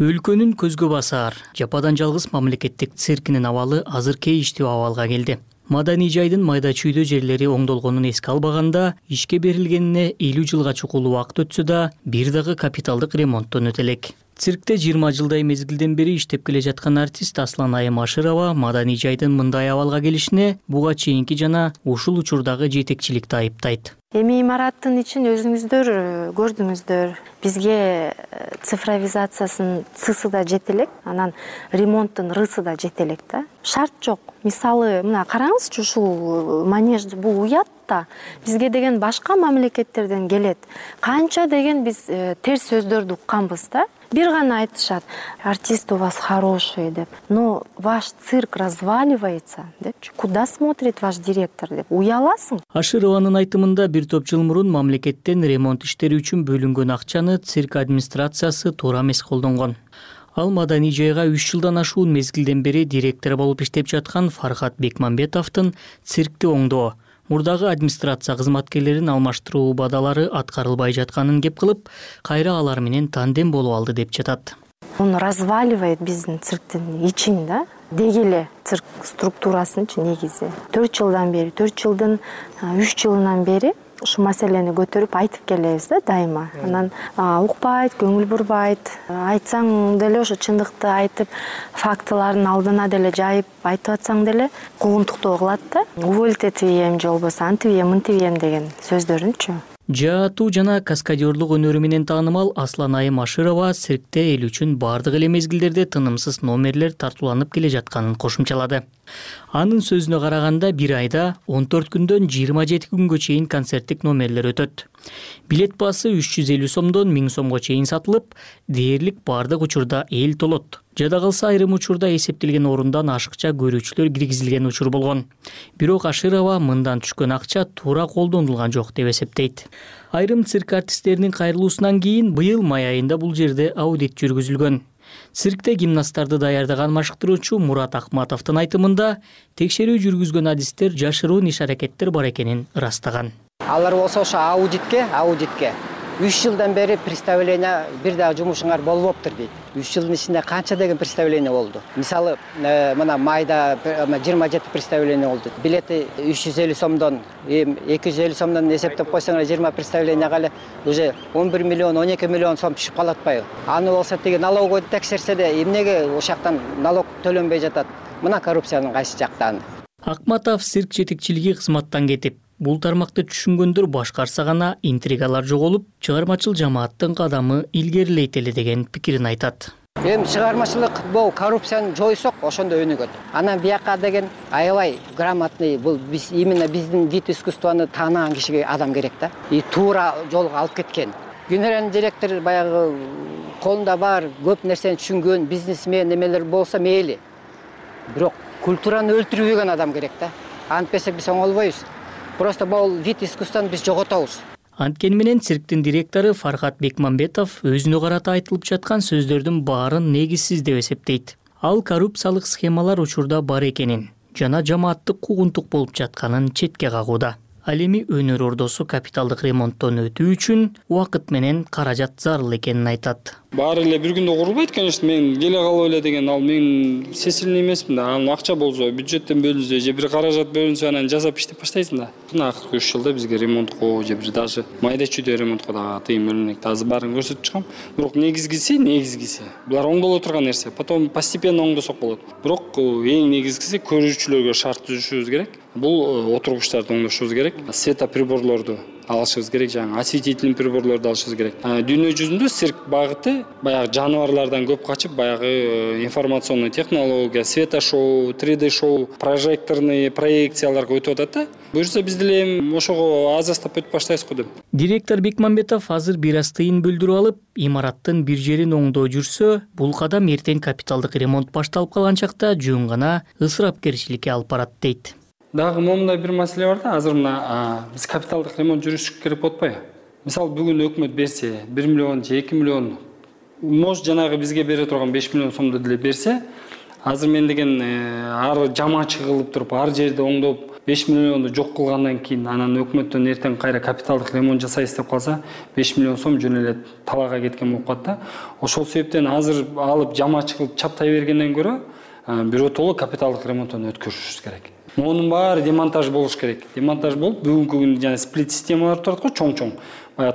G: Өлкөнүн көзгө басар, жападан жалгыз мамлекеттик циркинин абалы азыр кейиштүү абалга келди. Маданий жайдын майда чүйдө жерлери оңдолгонун эске албаганда, ишке берилгенине 50 жылга чукул убакыт өтсө да, бир дагы капиталдык ремонттон өтө элек. Циркте 20 жылдай мезгилден бери иштеп келе жаткан артист Аслан Айым Ашырова маданий жайдын мындай абалга келишине буга чейинки жана ушул учурдагы жетекчиликти айыптайт.
C: Эми имараттын ичин өзүңүздөр көрдүңүздөр. Бизге цифровизациясынын цысы да жете элек, анан ремонттун рысы да жете элек да. Шарт жок. Мисалы, мына караңызчы, ушул манеж бул уят да. Бизге деген башка мамлекеттерден келет. Канча деген биз терс сөздөрдү укканбыз да. Бир гана айтышат: артист у вас хороший деп. Но ваш цирк разваливается депчи. Куда смотрит ваш директор деп. Уяласың.
G: Ашырованын айтымында бир топ жыл мурун мамлекеттен ремонт иштери үчүн бөлүнгөн акчаны цирк администрациясы туура эмес колдонгон. Ал маданий жайга 3 жылдан ашуун мезгилден бери директор болуп иштеп жаткан Фархат Бекмамбетовдун циркти оңдоо, мурдагы администрация кызматкерлерин алмаштыруу убадалары аткарылбай жатканын кеп кылып, кайра алар менен тандем болуп алды деп жатат.
C: Он разваливает биздин цирктин ичин да. Дегеле цирк структурасынчы негизи. 4 жылдан бери, 4 жылдын 3 жылынан бери ушу маселени көтөрүп айтып келебиз да дайыма. Анан укпайт, көңүл бурбайт. Айтсаң деле ошо чындыкты айтып, фактыларын алдына деле жайып айтып атсаң деле куугунтуктоо кылат да. Уволить этием же болбосо антибием, мынтибием деген сөздөрүнчү.
G: Жаатуу жана каскадерлук өнөрү менен таанымал Аслан Айым Ашырова циркте эл үчүн бардык эле мезгилдерде тынымсыз номерлер тартууланып келе жатканын кошумчалады. Анын сөзүнө караганда бир айда 14 күндөн 27 күнгө чейин концерттик номерлер өтөт. Билет баасы 350 сомдон 1000 сомго чейин сатылып, дээрлик бардык учурда эл толот. Жада калса айрым учурда эсептелген орундан ашыкча көрүүчүлөр киргизилген учур болгон. Бирок Ашырова мындан түшкөн акча туура колдонулган жок деп эсептейт. Айрым цирк артисттеринин кайрылуусунан кийин быйыл май айында бул жерде аудит жүргүзүлгөн. Циркте гимнасттарды даярдаган машыктыруучу Мурат Акматовдун айтымында текшерүү жүргүзгөн адистер жашыруун иш-аракеттер бар экенин ырастаган.
W: Алар болсо ошо аудитке 3 жылдан бери представление бир дагы жумушуңар болбоптур дейт. 3 жылдын ичинде канча деген представление болду. Мисалы, мына майда 27 представление болду. Билети 350 сомдон, 250 сомдон эсептеп койсоңар 20 представленияга эле уже 11 миллион, 12 миллион сом түшүп калат атпайбы? Аны болсо тиги налоговойду текшерсе де эмнеге ошактан налог төлөнбөй жатат? Мына коррупциянын кайсы жактан.
G: Акматов цирк жетекчилиги кызматтан кетип, бул тармакты түшүнгөндөр башкарса гана интригалар жоголуп, чыгармачыл жамааттын кадамы илгерилейт эле деген пикирин айтат.
W: Эми чыгармачылык бул коррупцияны жойсок, ошондо өнүгөт. Анан бияка деген аябай грамотный, бул биз именно биздин вид искусствону таанаган кишиге адам керек да. И туура жолго алып кеткен. Генеральный директор баягы колунда бар, көп нерсени түшүнгөн бизнесмен немелер болсо мейли. Бирок культураны өлтүрбөгөн адам керек да. Антпесек биз оңолбойбуз. Просто бул вид искусствону биз жоготобуз.
G: Анткени менен цирктин директору Фархат Бекмамбетов өзүнө карата айтылып жаткан сөздөрдүн баарын негизсиз деп эсептейт. Ал коррупциялык схемалар учурда бар экенин жана жамааттык куугунтук болуп жатканын четке кагууда. Ал эми өнөр ордосу капиталдык ремонттон өтүү үчүн убакыт менен каражат зарыл экенин айтат.
B: Баары эле бир күндө курулбайт, конечно, мен келе калып эле деген ал мен сесилный эмесмин да. Анын акча болсо бюджеттен бөлүнсө же бир каражат бөлүнсө анан жасап иштеп баштайсың да. Мына акыркы 3 жылда бизге ремонтко же бир даже майда чүйдө ремонтко дагы тыйым бөлүнөт. Азыр баарын көрсөтүп чыккам. Бирок негизгиси булар оңдоло турган нерсе. Потом постепенно оңдосок болот. Бирок эң негизгиси көрүүчүлөргө шарт түзүшүбүз керек. Бул отургучтарды оңдошубуз керек. Светоприборлорду алышыбыз керек, жаңы осветительный приборлорду алышыбыз керек. Дүйнө жүзүндө цирк багыты баягы жаныбарлардан көп качып, баягы информационный технология, светошоу, 3D шоу, прожекторный проекцияларга өтүп атат да. Буюрса биз деле ошого азастап өтүп баштайбыз го деп.
G: Директор Бекмамбетов азыр бир аз тыйын билдирип алып, имараттын бир жерин оңдоо жүрсө, бул кадам эртең капиталдык ремонт башталып калган чакта жөн гана ысырапкерчиликке алып барат дейт.
B: Дагы момундай бир маселе бар да, азыр мына биз капиталдык ремонт жүргүзүш керек болуп атпайбы? Мисалы бүгүн өкмөт берсе, 1 миллион же 2 миллион, может жанагы бизге бере турган 5 миллион сомду деле берсе, азыр мен деген ар жамаачы кылып туруп, ар жерди оңдоп 5 миллионду жок кылгандан кийин анан өкмөттөн эртең кайра капиталдык ремонт жасайбыз деп калса, 5 миллион сом жөн эле талаага кеткен болуп калат да. Ошол себептен азыр алып жамаачы кылып чаптай бергенден көрө биротоло капиталдык ремонттон өткөрүшүбүз керек. Монун баары демонтаж болуш керек. Демонтаж болуп, бүгүнкү күндө жана сплит системалар турат го, чоң-чоң.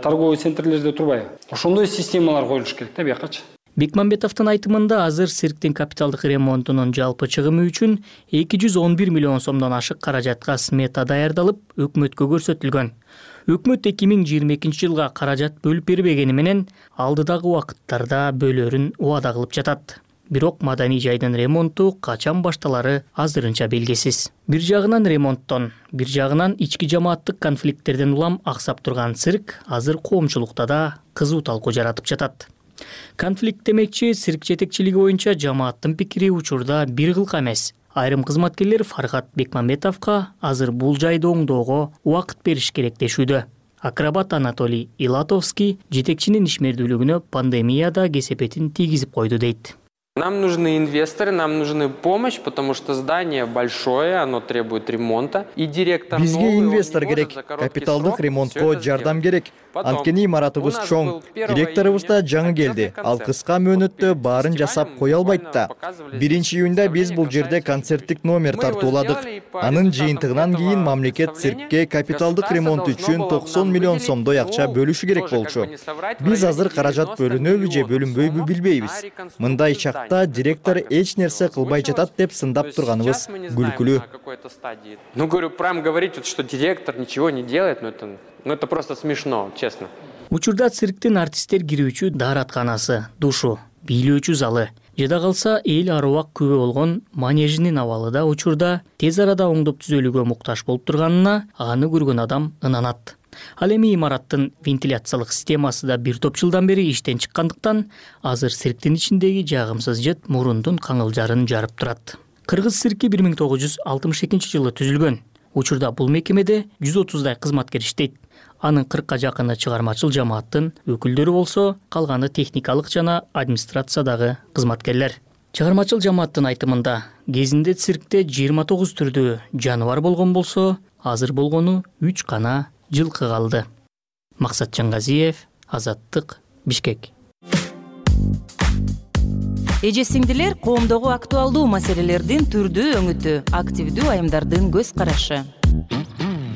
B: Торговый центрлерде турбайбы? Ошондой системалар коюлуш керек да биякачы.
G: Бекмамбетовдун айтымында азыр цирктин капиталдык ремонтунун жалпы чыгымы үчүн 211 миллион сомдон ашык каражатка смета даярдалып, өкмөткө көрсөтүлгөн. Өкмөт 2022 жылга каражат бөлүп бербегени менен алдыдагы убакыттарда бөлөрүн убада кылып жатат. Бирок маданий жайдын ремонту качан башталары азырынча белгисиз. Бир жагынан ремонттон, бир жагынан ички жамааттык конфликттерден улам аксап турган цирк азыр коомчулукта да кызуу талкуу жаратып жатат. Конфликт демекчи, цирк жетекчилиги боюнча жамааттын пикири учурда бир кылка эмес. Айрым кызматкерлер Фархат Бекмамбетовго азыр бул жайды оңдоого убакыт бериш керек дешүүдө. Акробат Анатолий Илатовский жетекчинин ишмердүүлүгүнө пандемияда кесепетин тийгизип койду дейт.
E: Нам нужны инвесторы, нам нужны помощь, потому что здание большое, оно требует ремонта. И директор
F: бизге инвестор керек, капиталдык ремонтко жардам керек. Анткени имаратыбыз чоң. Директорубуз да жаңы келди. Ал кыска мөөнөттө баарын жасап кое албайт да. 1-июнда биз бул жерде концерттик номер тартууладык. Анын жыйынтыгынан кийин мамлекет циркке капиталдык ремонт үчүн 90 миллион сомдой акча бөлүшү керек болчу. Биз азыр каражат бөлүнөбү же бөлүнбөйбү билбейбиз. Мындай чакта директор эч нерсе кылбай жатат деп сындап турганыбыз күлкүлүү.
E: Ну, говорю, прям говорить, что директор ничего не делает, это просто смешно, честно.
G: Учурда цирктин артисттер кирүүчү дааратканасы, душу, бийлөөчү залы, жада калса эл аруак күбө болгон манежинин абалы да учурда тез арада оңдоп түзөлүүгө муктаж болуп турганына аны көргөн адам ынанат. Ал эми имараттын вентиляциялык системасы да бир топ жылдан бери иштен чыккандыктан азыр цирктин ичиндеги жагымсыз жыт мурундун каңылжарын жарып турат. Кыргыз цирки 1962 жылы түзүлгөн. Учурда бул мекемеде 130дай кызматкер иштейт. Анын 40ка жакыны чыгармачыл жамааттын өкүлдөрү болсо, калганы техникалык жана администрациядагы кызматкерлер. Чыгармачыл жамааттын айтымында, кезинде циркте 29 түрдүү жаныбар болгон болсо, азыр болгону 3 гана жылкы калды. Максат Жаңгазиев, Азаттык, Бишкек.
X: Эже сиңдилер, коомдогу актуалдуу маселелердин түрдүү өңүтү, активдүү айымдардын көз карашы.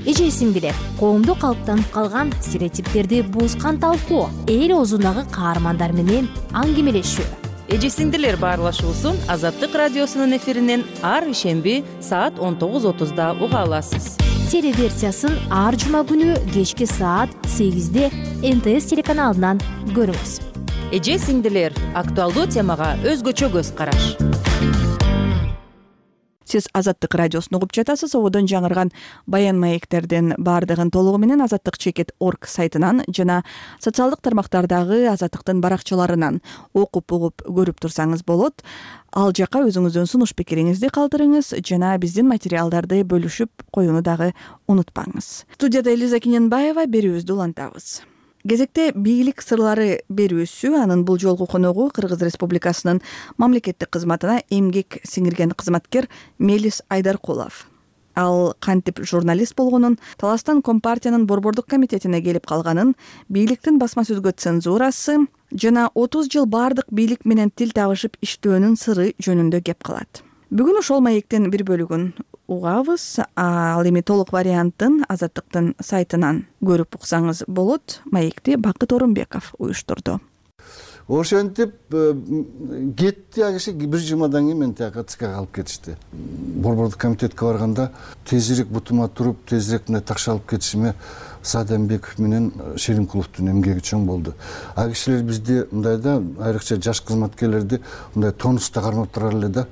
Y: Эже сиңдилер, коомдо калыптанып калган стереотиптерди бузган талкуу, эл оозундагы каармандар менен аңгемелешүү.
X: Эже сиңдилер баарлашуусун Азаттык радиосунун эфиринен ар ишемби саат 19:30 уга аласыз.
Y: Телеверсиясын ар жума күнү кечки саат 8-де НТС телеканалынан көрүңүз.
X: Эже сиңдилер, актуалдуу темага өзгөчө көз караш.
A: Сиз Азаттык радиосун угуп жатасыз. Ободон жаңырган баян маектердин баардыгын толугу менен azattikcheket.org сайтынан жана социалдык тармактардагы Азаттыктын баракчаларынан окуп угуп көрүп турсаңыз болот. Ал жака өзүңүздүн сунуш пикириңизди калтырыңыз жана биздин материалдарды бөлүшүп коюуну дагы унутпаңыз. Студияда Элиза Киненбаева, берүүбүздү улантабыз. Кезекте бийлик сырлары берүүсү, анын бул жолку коногу Кыргыз Республикасынын мамлекеттик кызматына эмгек сиңирген кызматкер Мелис Айдаркулов. ал кантип журналист болгонун, таластан Компартиянын борбордук комитетине келип калганын, бийликтин басма сөзгө цензурасы жана 30 жыл бардык бийлик менен тил табышып иштөөнүн сыры жөнүндө кеп калат. Бүгүн ошол маектин бир бөлүгүн угабыз. Ал эми толук вариантын Азаттыктын сайтынан көрүп уксаңыз болот. Маекти Бакыт Орунбеков уюштурду.
D: Ошентип кетти а киши бир жумадан кийин мени тияка ЦКга алып кетишти. Борбордук комитетке барганда тезирээк бутума туруп, тезирээк мындай такша алып кетишиме Саадамбеков менен Шеримкуловдун эмгеги чоң болду. А кишилер бизди мындай да, айрыкча жаш кызматкерлерди мындай тонуста кармап турар эле да.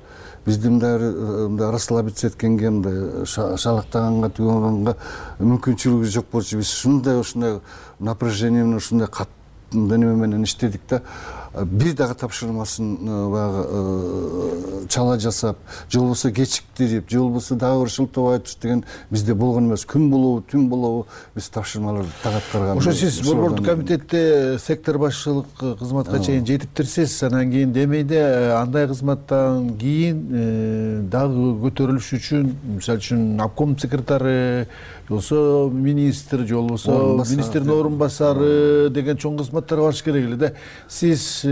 D: Бизди мындай расслабиться эткенге, мындай шалактаганга, түйгөнгөнгө мүмкүнчүлүгү жок болчу. Биз ушундай напряжение менен, ушундай неме менен иштедик да. Бир дагы тапшырмасын баягы чала жасап, же болбосо кечиктирип, же болбосо дагы бир шылтабай туш деген бизде болгон эмес. Күн болобу, түн болобу биз тапшырмаларды так аткарган.
H: Ошо сиз борбордук комитетте сектор башчылык кызматка чейин жетиптирсиз. Анан кийин демейде андай кызматтан кийин дагы көтөрүлүш үчүн, мисалы үчүн обком секретары, же болбосо министр, же болбосо министрдин орун басары деген чоң кызматтарга барыш керек эле да. Сиз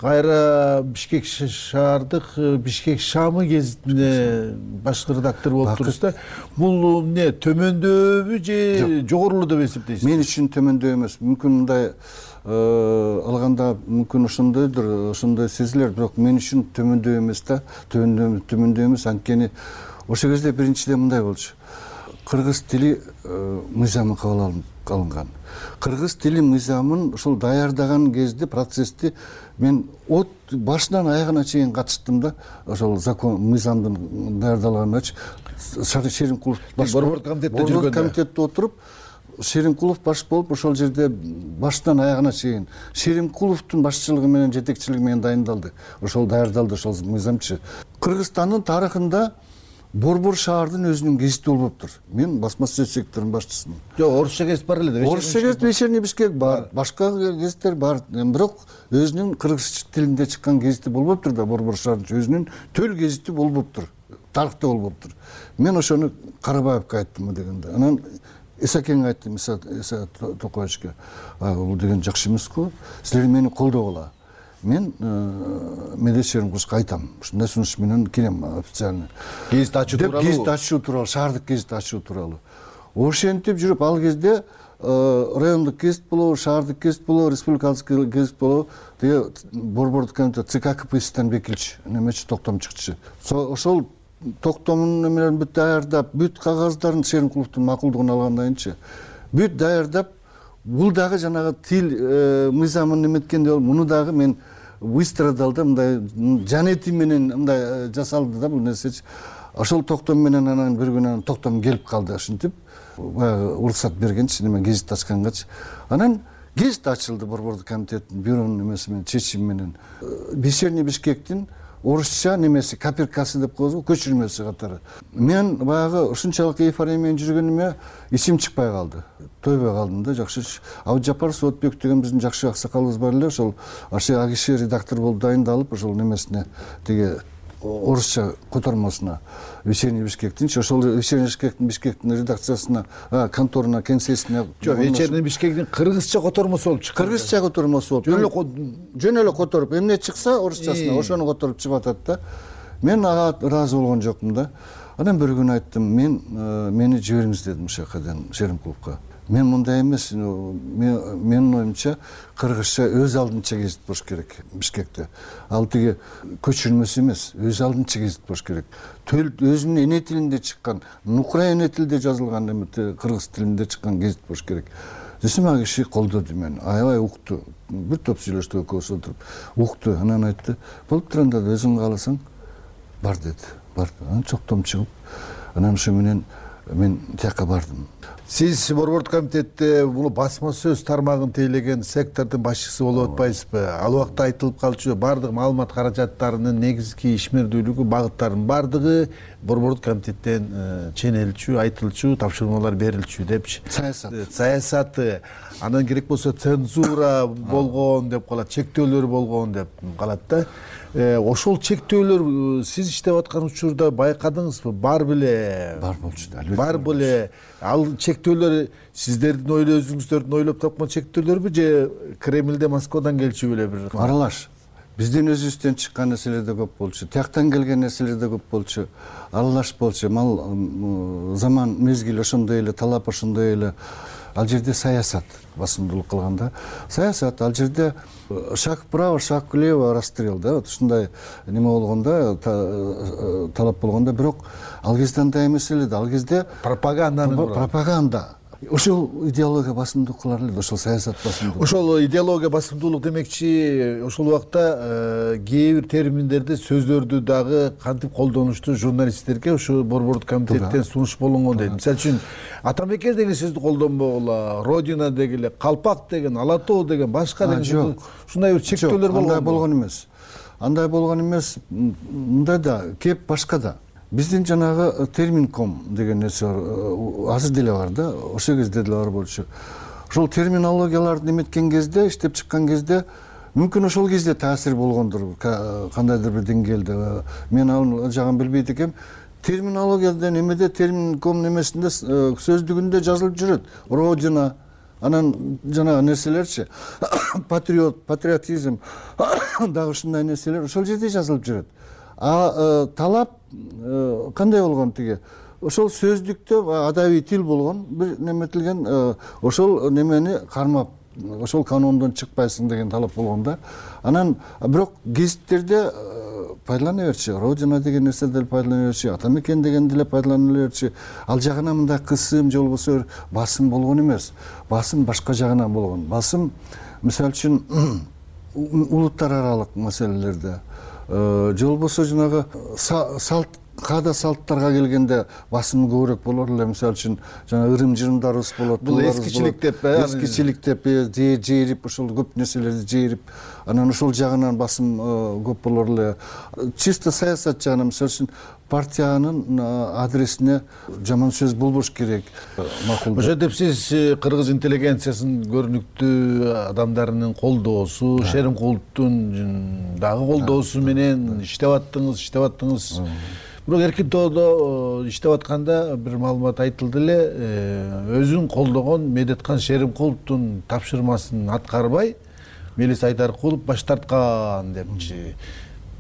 H: кайра Бишкек шаардык Бишкек шамы гезитине башкы редактор болуп турсуз да. Бул эмне төмөндөбү же жогорулу деп эсептейсиз?
D: Мен үчүн төмөндөбү эмес. Мүмкүн мындай алганда мүмкүн ошондой сезилер, бирок мен үчүн төмөндөбү эмес да. Төмөндөбү эмес, анткени ошол кезде биринчиден мындай болчу. Кыргыз тили мыйзамы кабыл алынган. Кыргыз тили мыйзамын ошол даярдаган кезде, процессти мен от башынан аягына чейин катыштым да. Ошол закон мыйзамдын даярдалганычы Шеримкулов
H: борбордук комитетте жүргөндө.
D: Борбордук комитетте отуруп, Шеримкулов баш болуп, ошол жерде башынан аягына чейин Шеримкуловдун башчылыгы менен, жетекчилиги менен дайындалды. Ошол даярдалды ошол мыйзамчы. Кыргызстандын тарыхында Борбор шаардын өзүнүн гезити болуптур. Мен басма сөз секторунун башчысымын.
H: Жок, орусча гезит бар эле да.
D: Орусча гезит Вечерний Бишкек бар, башка гезиттер бар. Бирок өзүнүн кыргыз тилинде чыккан гезити болбоптур да, борбор шаардын өзүнүн төл гезити болбоптур. Тарыхта болбоптур. Мен ошону Карабаевке айттым дегенде. Анан Исакенге айттым, Иса Токаевичке. Бул деген жакшы эмеску? Силер мени колдогула. Мен Медешеримкуловго айтам. Ушундай сунуш менен келем официально.
H: Гезит ачуу тууралуу.
D: Гезит ачуу тууралуу, шаардык гезит ачуу тууралуу. Ошентип жүрүп, ал кезде райондук гезит болобу, шаардык гезит болобу, республикалык гезит болобу, деге борбордук комитет ЦК КПССтен векилчи, немечи токтом чыкчы. Ошол токтомун эмелерин бүт даярдап, бүт кагаздарын Шеримкуловдун макулдугун алгандан бүт даярдап, бул дагы жанагы тил мыйзамын эметкенде муну дагы мен выстрадал да, мындай жанети менен мындай жасалды да бул нерсечи. Ошол токтом менен анан бир күнү токтом келип калды, ушинтип баягы уруксат бергенчи, неме гезит ачкангачы. Анан гезит ачылды борбордук комитеттин бюронун эмеси менен, чечими менен. Вечерний Бишкектин орусча немеси, копиркасы деп коебузбу, көчүрмөсү катары. Мен баягы ушунчалык эйфория менен жүргөнүмө ичим чыкпай калды. Тойбой калдым да, жакшы. Абдыжапар Соотбек деген биздин жакшы аксакалыбыз бар эле, ошол киши редактор болуп дайындалып, ошол немесине тиги орусча котормосуна Вечерний Бишкектин, ошол Вечерний Бишкектин редакциясына, конторуна, кеңсесине.
H: Жок, Вечерний Бишкектин кыргызча котормосу болуп чыкты.
D: Кыргызча котормосу болуп. Жөн эле которуп, эмне чыкса орусчасына ошону которуп чыгып атат да. Мен ага ыраазы болгон жокмун да. Анан бир күнү айттым, мени жибериңиз дедим ошол жакадан Шеримкуловго. Мен мындай эмес, менин оюмча кыргызча өз алдынча гезит болуш керек Бишкекте. Ал тиги көчүрмөсү эмес, өз алдынча гезит болуш керек. Өзүнүн эне тилинде чыккан, украин эне тилинде жазылган, кыргыз тилинде чыккан гезит болуш керек. Десем, ал киши колдоду мени, аябай укту. Бир топ сүйлөштүк экөөбүз отуруп, укту. Анан айтты, болуп турганда өзүң кааласаң бар деди. Барды. Анан чоктом чыгып, анан ошо менен мен тияка бардым.
H: Сиз борбордук комитетте бул басма сөз тармагын тейлеген сектордун башчысы болуп атпайсызбы? Ал убакта айтылып калчу баардык маалымат каражаттарынын негизги ишмердүүлүгү, багыттарынын баардыгы борбордук комитеттен ченелчү, айтылчу, тапшырмалар берилчү депчи. Саясаты, анан керек болсо цензура болгон деп калат, чектөөлөр болгон деп калат да. Ошол чектөөлөр сиз иштеп аткан учурда байкадыңызбы? Бар беле?
D: Бар болчу да, албетте.
H: Бар беле? Ал чектөөлөр сиздердин өзүңүздөрдүн ойлоп тапкан чектөөлөрбү же Кремльде, Москвадан келчү беле бир?
D: Аралаш. Биздин өзүбүздөн чыккан нерселер да көп болчу. Тияктан келген нерселер да көп болчу. Аралаш болчу. Мал заман мезгил ошондой эле, талап ошондой эле. Ал жерде саясат басымдуулук кылганда. Саясат ал жерде шаг вправо, шаг влево, расстрел да. Вот ушундай неме болгондо, талап болгондо, бирок ал кезде андай эмес эле да. Ал кезде пропаганда. Ошол идеология басымдуулук кылар эле, ошол саясат басымдуулук.
H: Ошол идеология басымдуулук демекчи, ошол убакта кээ бир терминдерди, сөздөрдү дагы кантип колдонушту журналисттерге ошо борбордук комитеттен сунуш болгон дейт. Мисалы үчүн Атамекен деген сөздү колдонбогула, Родина дегиле, Калпак деген, Ала тоо деген, башка деген ушундай бир чектөөлөр болгон.
D: Андай болгон эмес. Андай болгон эмес. Мындай да, кеп башка да. Биздин жанагы терминком деген нерсе бар, азыр деле бар да, ошол кезде деле бар болчу. Ошол терминологияларды неметкен кезде, иштеп чыккан кезде, мүмкүн ошол кезде таасир болгондур, кандайдыр бир деңгээлде. Мен ал жагын билбейт экем. Терминологияда немеде, терминком немесинде, сөздүгүндө жазылып жүрөт. Родина, анан жанагы нерселерчи, патриотизм, дагы ушундай нерселер ошол жерде жазылып жүрөт. Талап кандай болгон тиги? Ошол сөздүктө адабий тил болгон, бир неметилген, ошол немени кармап, ошол канондон чыкпайсың деген талап болгон да. Анан бирок гезиттерде пайдалана берчи, Родина деген нерсе деле пайдалана берчи, Атамекен деген деле пайдалана берчи. Ал жагынан мындай кысым же болбосо басым болгон эмес. Басым башка жагынан болгон. Басым, мисалы үчүн, улуттар аралык маселелерде, же болбосо жанагы каада салттарга келгенде басым көбүрөөк болор эле. Мисалы үчүн жана ырым-жырымдарыбыз болот.
H: Бул эскичилик деп,
D: эскичилик деп, жээрип, ошол көп нерселерди жээрип, анан ошол жагынан басым көп болор эле. Чисто саясат жагынан, мисалы үчүн, партиянын адресине жаман сөз болбош керек. Макул.
H: Ошо деп сиз кыргыз интеллигенциясынын көрүнүктүү адамдарынын колдоосу, Шеримкуловдун дагы колдоосу менен иштеп аттыңыз. Бирок Эркин тоодо иштеп атканда бир маалымат айтылды эле, өзүн колдогон Медеткан Шеримкуловдун тапшырмасын аткарбай Мелис Айдаркулов баш тарткан депчи.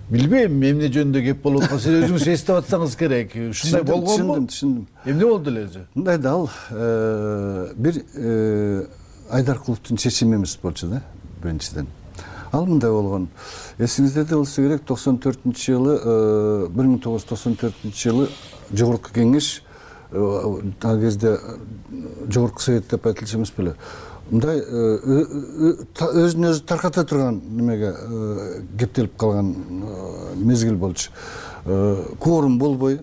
H: Билбейм, эмне жөнүндө кеп болуп атса, сиз өзүңүз эстеп атсаңыз керек. Ушундай болгонбу?
D: Түшүндүм.
H: Эмне болду эле өзү?
D: Мындай да, ал бир Айдаркуловдун чечими эмес болчу да, биринчиден. Ал мындай болгон. Эсиңизде болсо керек, 94-жылы, 1994-жылы Жогорку Кеңеш, ал кезде Жогорку Совет деп айтылчу эмес беле. Мындай өзүн өзү тарката турган немеге кептелип калган мезгил болчу. Кворум болбой,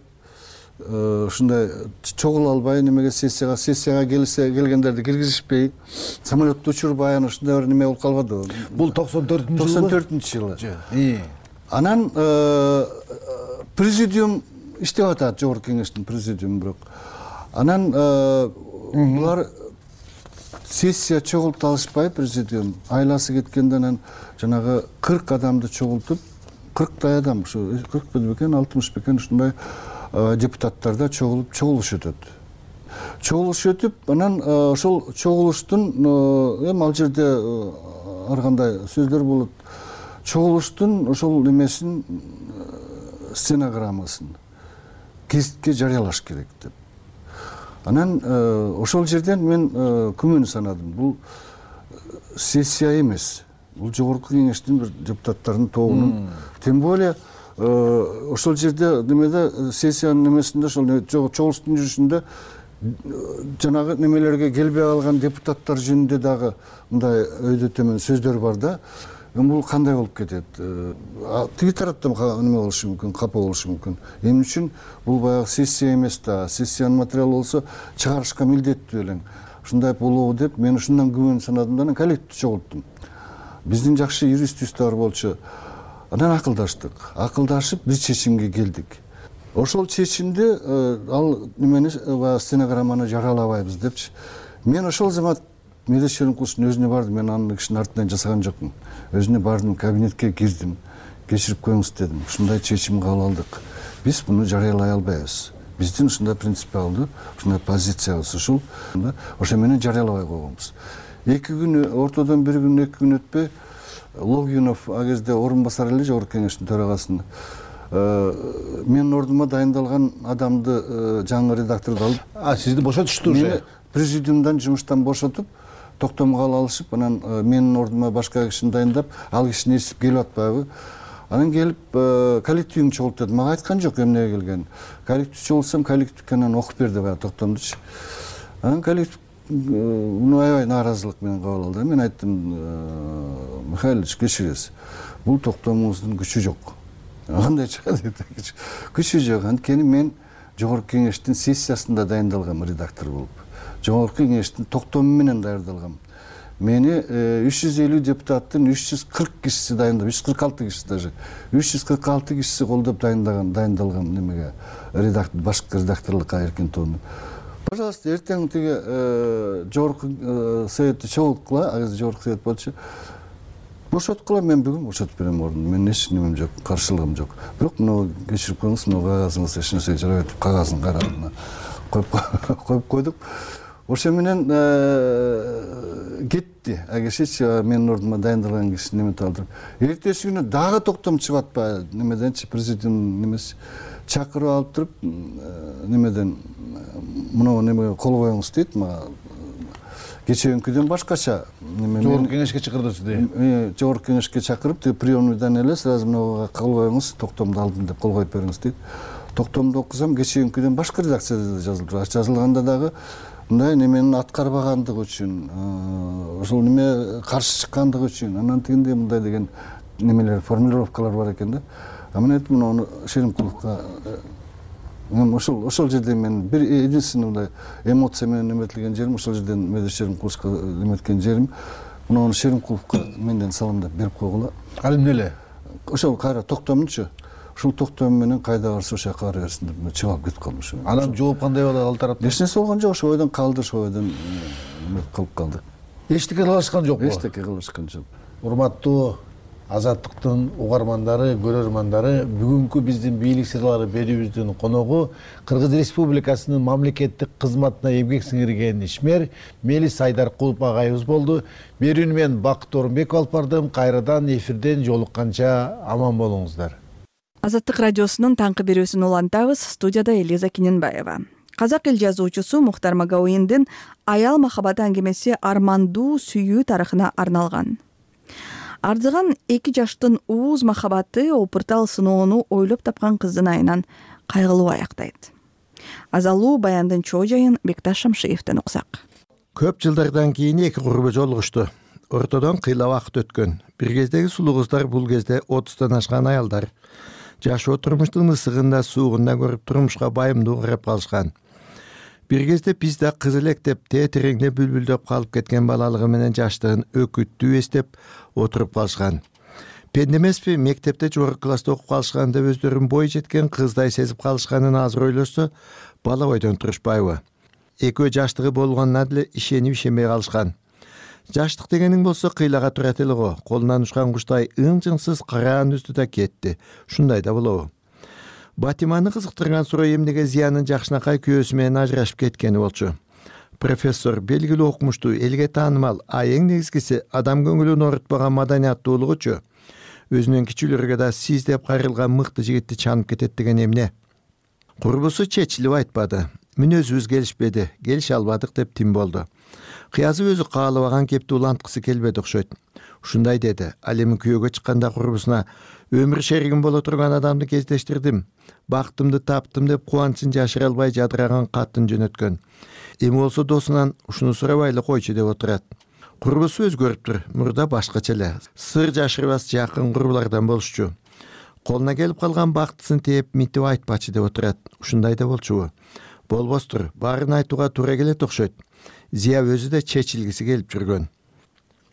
D: ушундай чогула албай немеге сессияга келгендерди киргизишпей, самолетту учурбай, анан ушундай бир неме болуп калбады.
H: Бул
D: 94-жылы. Анан президиум иштеп атат, Жогорку Кеңештин президиуму, бирок. Анан булар сессия чогулта алышпай, президиум айласы кеткенде анан жанагы 40 адамды чогултуп, 40 адам, ушу 40 бекен, 60 бекен ушундай депутаттарда чогулуш өтөт. Чогулуш өтүп, анан ошол чогулуштун эми ал жерде ар кандай сөздөр болот. Чогулуштун ошол немесин, стенограммасын гезитке жарыялаш керек деп. Анан ошол жерден мен күмөн санадым. Бул сессия эмес. Бул Жогорку Кеңештин бир депутаттарынын тобунун. Тем более ошол жерде немеде сессиянын немесинде, ошол чогулуштун жүрүшүндө жанагы немелерге келбей калган депутаттар жөнүндө дагы мындай өйдө төмөн сөздөр бар да. бул кандай болуп кетет? Тиги тараптан неме болушу мүмкүн, капа болушу мүмкүн. Эмне үчүн бул баягы сессия эмес да, сессиянын материалы болсо чыгарышка милдеттүү элең. Ушундай болобу деп мен ушундан күбөн санадым да, анан коллективди чогулттум. Биздин жакшы юристибиз бар болчу. Анан акылдашып бир чечимге келдик. Ошол чечимди ал немени стенограмманы жарыялабайбыз депчи. Мен ошол замат Медес Шеримкуловдун өзүнө бардым, мен анын кишинин артынан жасаган жокмун. Өзүнө бардым, кабинетке кирдим, кечирип коюңуз дедим. Ушундай чечим кабыл алдык. Биз муну жарыялай албайбыз. Биздин ушундай принципиалдуу, ушундай позициябыз ушул. Ошо менен жарыялабай койгонбуз. 2 күн, ортодон 1 күн, 2 күн өтпөй Логинов а кезде орун басар эле жогорку кеңештин төрагасынын. Менин ордума дайындалган адамды, жаңы редакторду алып,
H: сизди бошотушту уже?
D: Президиумдан жумуштан бошотуп, токтомго алышып, анан менин ордума башка кишини дайындап, ал кишини ээрчип келип атпайбы. Анан келип коллективиңди чогулт деди. Мага айткан жок эмнеге келгенин. Коллектив чогултсам, коллективге анан окуп берди баягы токтомдучу. Анан коллектив аябай нааразылык менен кабыл алды. Мен айттым, Михаил Ильич, кечиресиз. Бул токтомуңуздун күчү жок. Кандай чыгат дейт. Күчү жок. Анткени мен жогорку кеңештин сессиясында дайындалгам редактор болуп. Жогорку кеңештин токтому менен даярдалгам. Мени 350 депутаттын 340 кишиси дайындап, 346 киши даже. 346 кишиси колдоп дайындалган немеге башкы редакторлукка эркин тоону. Пожалуйста, эртең тиги жогорку советти чогулткула, а жогорку совет болчу. Бошоткула, мен бүгүн бошотуп берем ордуну. Менин эч немем жок, каршылыгым жок. Бирок муну кечирип коюңуз, муну кагазыңыз эч нерсеге жарабайт деп кагазын карабына коюп койдук. Ошо менен кетти. А киши менин ордума дайындалган киши неметип алдырып. Эртеси күнү дагы токтом чыгып атпайбы? Немеденчи президиум немеси чакырып алып туруп, немеден муну немеге кол коюңуз дейт мага. Кечээкүдөн башкача
H: жогорку кеңешке чакырды сизди.
D: Жогорку кеңешке чакырып, тиги приемныйдан эле сразу мынага кол коюңуз, токтомду алдым деп кол коюп бериңиз дейт. Токтомду окусам, кечээкүдөн башка редакцияда жазылып, жазылганда дагы мындай неменин аткарбагандыгы үчүн, ошол неме каршы чыккандыгы үчүн, анан тигинде мындай деген немелер, формулировкалар бар экен да. А мен айттым, муну Шеримкуловго ошол жерде мен бир единственный мындай эмоция менен неметилген жерим, ошол жерден Медес Шеримкуловго неметкен жерим, муну Шеримкуловго менден саламдап берип койгула.
H: Ал эмне эле?
D: Ошол кайра токтомчу. Ушул токтом менен кайда барса ошол жака бара берсин деп чыгып алып кетип калдым ошо.
H: Анан жооп кандай болду ал тараптан?
D: Эч нерсе болгон жок, ошо ойдон калды, ошо ойдон калып калды.
H: Эчтеке кылышкан жокпу?
D: Эчтеке кылышкан жок.
H: Урматтуу Азаттыктын угармандары, көрөрмандары, бүгүнкү биздин бийлик сырлары берүүбүздүн коногу Кыргыз Республикасынын мамлекеттик кызматына эмгек сиңирген ишмер Мелис Айдаркулов агайыбыз болду. Берүүнү мен Бакыт Орунбеков алып бардым. Кайрадан эфирден жолукканча аман болуңуздар.
A: Азаттык радиосунун таңкы берүүсүн улантабыз. Студияда Элиза Киненбаева. Казак эл жазуучусу Мухтар Магауиндин аял махабаты аңгемеси армандуу сүйүү тарыхына арналган. Ардыган 2 жаштын ууз махабаты опуртал сыноону ойлоп тапкан кыздын айынан кайгылуу аяктайт. Азалуу баяндын чоо жайын Бекташ Шамшиевден уксак.
I: Көп жылдардан кийин 2 курбу жолугушту. Ортодон кыйла убакыт өткөн. Бир кездеги сулуу кыздар бул кезде 30тан ашкан аялдар. Жашоо турмуштун ысыгында суугунда көрүп турмушка байымдуу карап калышкан. Бир кезде бизде кыз элек деп тетиреңде бүлбүлдөп калып кеткен балалыгы менен жаштыгын өкүттүү эстеп отуруп калышкан. Пенде эмеспи, мектепте жогорку класста окуп калышкан деп өздөрүн бой жеткен кыздай сезип калышканын азыр ойлошсо, бала бойдон турушпайбы? Экөө жаштыгы болгонуна деле ишенип ишенбей калышкан. Жаштык дегениң болсо кыйлага турат эле го, колунан учкан куштай ың-жыңсыз караан үздү да кетти. Ушундай да болобу? Батиманы кызыктырган суроо эмнеге Зиянын жакшынакай күйөөсү менен ажырашып кеткени болчу. Профессор белгилүү окумуштуу, элге таанымал, а эң негизгиси адам көңүлүн оорутпаган маданияттуулугучу. Өзүнүн кичүүлөргө да сиз деп кайрылган мыкты жигитти чанып кетет деген эмне? Курбусу чечилип айтпады. Мүнөзүбүз келишпеди, келише албадык деп тим болду. Кыязы өзү каалабаган кепти уланткысы келбеди окшойт. Ушундай деди. Ал эми күйөөгө чыкканда курбусуна өмүр шеригим боло турган адамды кездештирдим. Бактымды таптым деп кубанычын жашыра албай жадыраган катын жөнөткөн. Эми болсо досунан ушуну сурабай эле койчу деп отурат. Курбусу өзгөрүптүр. Мурда башкача эле. Сыр жашырбас жакын курбулардан болушчу. Колуна келип калган бактысын тээп митип айтпачы деп отурат. Ушундай да болчубу? Болбостур. Баарын айтууга туура келет окшойт. Зия өзү да чечилгиси келип жүргөн.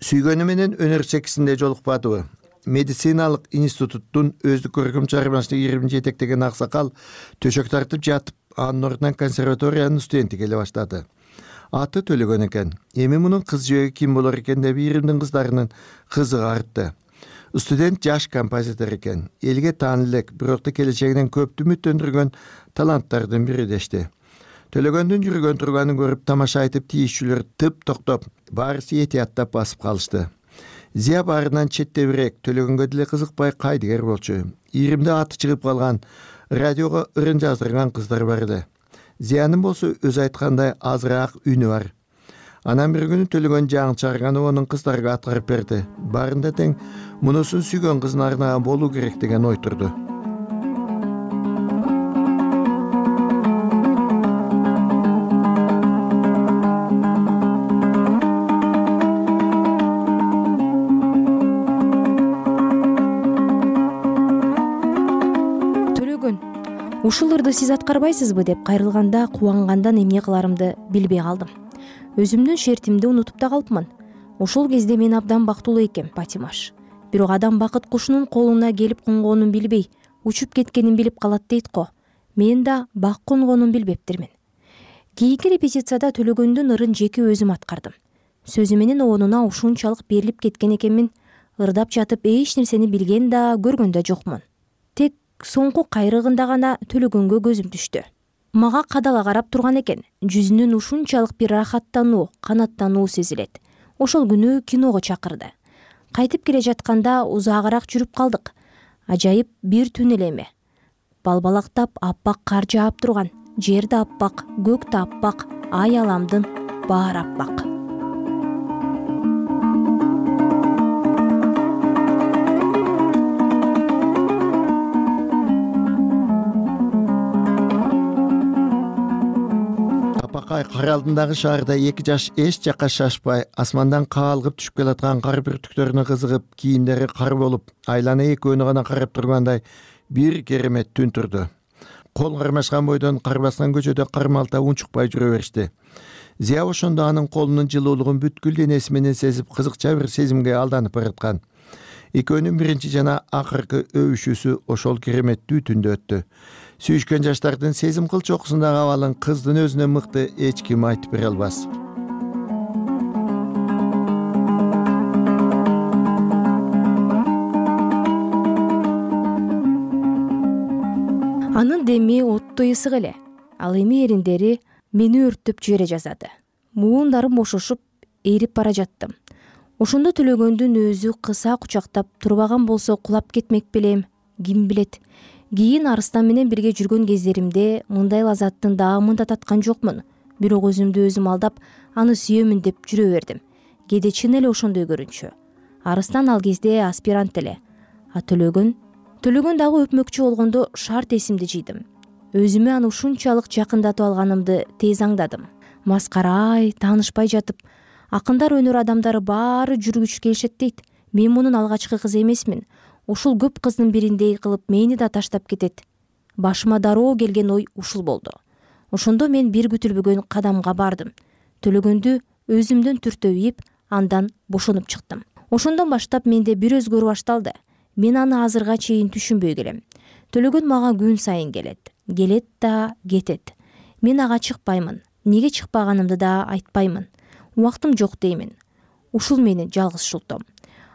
I: Сүйгөнү менен өнөр секисинде жолукпадыбы? Медициналык институттун өздүк көркөм чыгармачылык ийримин жетектеген аксакал төшөк тартып жатып, анын ордунан консерваториянын студенти келе баштады. Аты Төлөгөн экен. Эми мунун кыз жөөгү ким болор экен деп ийримдин кыздарынын кызыгы артты. Студент жаш композитор экен. Элге таанылуу элек, бирок да келечегинен көптү үмүттөндүргөн таланттардын бири дешти. Төлөгөндүн жүргөн турганын көрүп тамаша айтып тийишчүлөр тып токтоп, баарысы этияттап басып калышты. Зия баарынан четтебирээк, Төлөгөнгө деле кызыкпай кайдыгер болчу. Ийримде аты чыгып калган, радиого ырын жаздырган кыздар бар эле. Зиянын болсо өзү айткандай азыраак үнү бар. Анан бир күнү Төлөгөн жаңы чыгарган онун кыздарга аткарып берди. Баарында тең мунусун сүйгөн кызына арнаган болуу керек деген ой турду.
Y: Ушул ырды сиз аткарбайсызбы деп кайрылганда кубангандан эмне кыларымды билбей калдым. Өзүмдүн шертимди унутуп да калыпмын. Ушул кезде мен абдан бактылуу экем, Патимаш. Бирок адам бакыт кушунун колуна келип конгонун билбей, учуп кеткенин билип калат дейт го. Мен да бак конгонун билбептирмин. Кийинки репетицияда Төлөгөндүн ырын жеке өзүм аткардым. Сөзү менен оонуна ушунчалык берилип кеткен экенмин. Ырдап жатып эч нерсени билген да, көргөн да жокмун. Тек соңку кайрыгында гана Төлөгөнгө көзүм түштү. Мага кадала карап турган экен. Жүзүнөн ушунчалык бир рахаттануу, канаттануу сезилет. Ошол күнү киного чакырды. Кайтып келе жатканда узаагыраак жүрүп калдык. Ажайып бир түн эле эме. Балбалактап аппак кар жаап турган. Жер да аппак, көк да аппак, ай аламдын баары аппак.
I: Кар алдындагы шаарда эки жаш эч жакка шашпай, асмандан каалгып түшүп келаткан кар бүртүктөрүнө кызыгып, кийимдери кар болуп, айлана экөөнү гана карап тургандай бир керемет түн турду. Кол кармашкан бойдон кар баскан көчөдө кармалта унчукпай жүрө беришти. Зия ошондо анын колунун жылуулугун бүткүл денеси менен сезип, кызыкча бир сезимге алданып бараткан. Экөөнүн биринчи жана акыркы өбүшүүсү ошол кереметтүү түндө өттү. Сүйүшкөн жаштардын сезим кыл чокусундагы абалын кыздын өзүнөн мыкты эч ким айтып бере албас.
Y: Анын деми оттой ысык эле. Ал эми эриндери мени өрттөп жибере жаздады. Муундарым бошошуп, эрип бара жаттым. Ошондо Төлөгөндүн өзү кыса кучактап турбаган болсо кулап кетмек белем, ким билет. Кийин Арыстан менен бирге жүргөн кездеримде мындай лазаттын даамын да таткан жокмун. Бирок өзүмдү өзүм алдап, аны сүйөмүн деп жүрө бердим. Кээде чын эле ошондой көрүнчү. Арыстан ал кезде аспирант эле. А Төлөгөн дагы өпмөкчү болгондо шарт эсимди жыйдым. Өзүмө аны ушунчалык жакындатып алганымды тез аңдадым. Маскарай, таанышпай жатып, акындар, өнөр адамдары баары жүргүч келишет дейт. Мен мунун алгачкы кызы эмесмин. Ушул көп кыздын бириндей кылып мени да таштап кетет. Башыма дароо келген ой ушул болду. Ошондо мен бир күтүлбөгөн кадамга бардым. Төлөгөндү өзүмдөн түртөп, андан бошонуп чыктым. Ошондон баштап менде бир өзгөрүү башталды. Мен аны азырга чейин түшүнбөй келем. Төлөгөн мага күн сайын келет да кетет. Мен ага чыкпаймын. Неге чыкпаганымды да айтпаймын. Убактым жок деймин. Ушул менин жалгызчылыктым.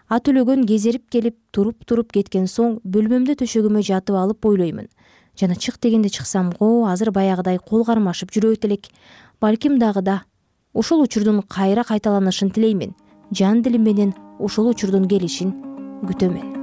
Y: А Төлөгөн кезерип келип, туруп кеткен соң бөлмөмдө төшөгүмө жатып алып ойлоймун. Жана чык дегенде чыксам го, азыр баягыдай кол кармашып жүрөт элек. Балким дагы да. Ушул учурдун кайра кайталанышын тилеймин. Жан дилим менен ушул учурдун келишин күтөмүн.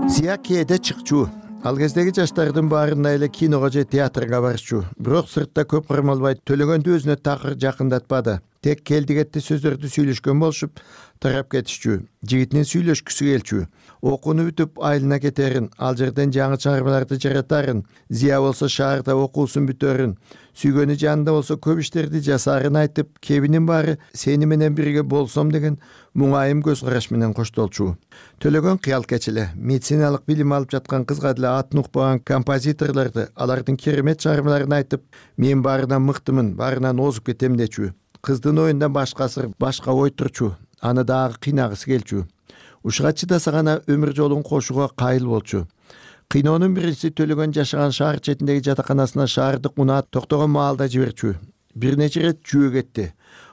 I: Зия кээде чыкчу. Ал кездеги жаштардын баарында эле киного же театрга барышчу. Бирок сыртта көп кармалбай Төлөгөндү өзүнө такыр жакындатпады. Тек келдигетти сөздөрдү сүйлөшкөн болушуп тарап кетишчү. Жигитинин сүйлөшкүсү келчү. Окууну бүтүп айылына кетерин, ал жерден жаңы чыгармаларды жаратарын, Зия болсо шаарда окуусун бүтөрүн, сүйгөнү жанында болсо көп иштерди жасаарын айтып, кебинин баары сени менен бирге болсом деген муңайым көз караш менен коштолчу. Төлөгөн кыял кечеле, медициналык билим алып жаткан кызга деле атын укпаган композиторлорду, алардын керемет чыгармаларын айтып, мен баарынан мыктымын, баарынан озуп кетем дечү. Кыздын оюнда башка сыр, башка ой турчу, аны дагы кыйнагысы келчү. Ушуга чыдаса гана өмүр жолун кошууга кайыл болчу. Кыйноонун биринчиси Төлөгөн жашаган шаар четиндеги жатаканасына шаардык унаат токтогон маалда жиберчү. Бир нече ирет жөө кетти.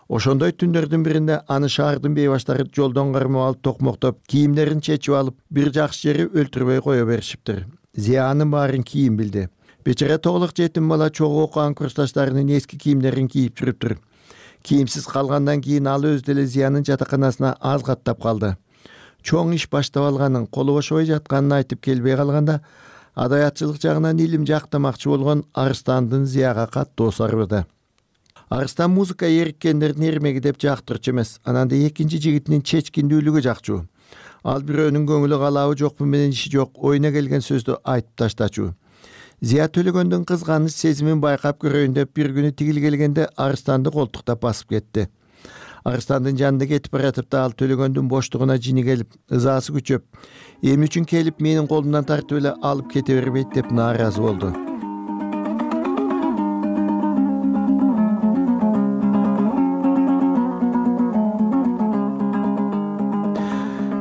I: Ошондой түндөрдүн биринде аны шаардын бейбаштары жолдон кармап алып токмоктоп, кийимдерин чечип алып, бир жакшы жери өлтүрбөй кое беришиптир. Зиянын баарын кийин билди. Бечара тоголук жетим бала чогуу окуган курсташтарынын эски кийимдерин кийип жүрүптүр. Кийимсиз калгандан кийин ал өзү деле Зиянын жатаканасына аз каттап калды. Чоң иш баштап алганын, колу бошобой жатканын айтып келбей калганда, адаятчылык жагынан илим жактамакчы болгон Арыстандын Зияга каттуу сарбады. Арыстан музыка эриккендердин эрмеги деп жактырчу эмес, анан да экинчи жигитинин чечкиндүүлүгү жакчу. Ал бирөөнүн көңүлү калабы жокпу менен иши жок, оюна келген сөздү айтып таштачу. Зия Төлөгөндүн кызганыч сезимин байкап көрөйүн деп бир күнү тигил келгенде Арыстанды колтуктап басып кетти. Арыстандын жанында кетип баратып да ал Төлөгөндүн боштугуна жини келип, ызаасы күчөп, эмне үчүн келип менин колумдан тартып эле алып кете бербейт деп нааразы болду.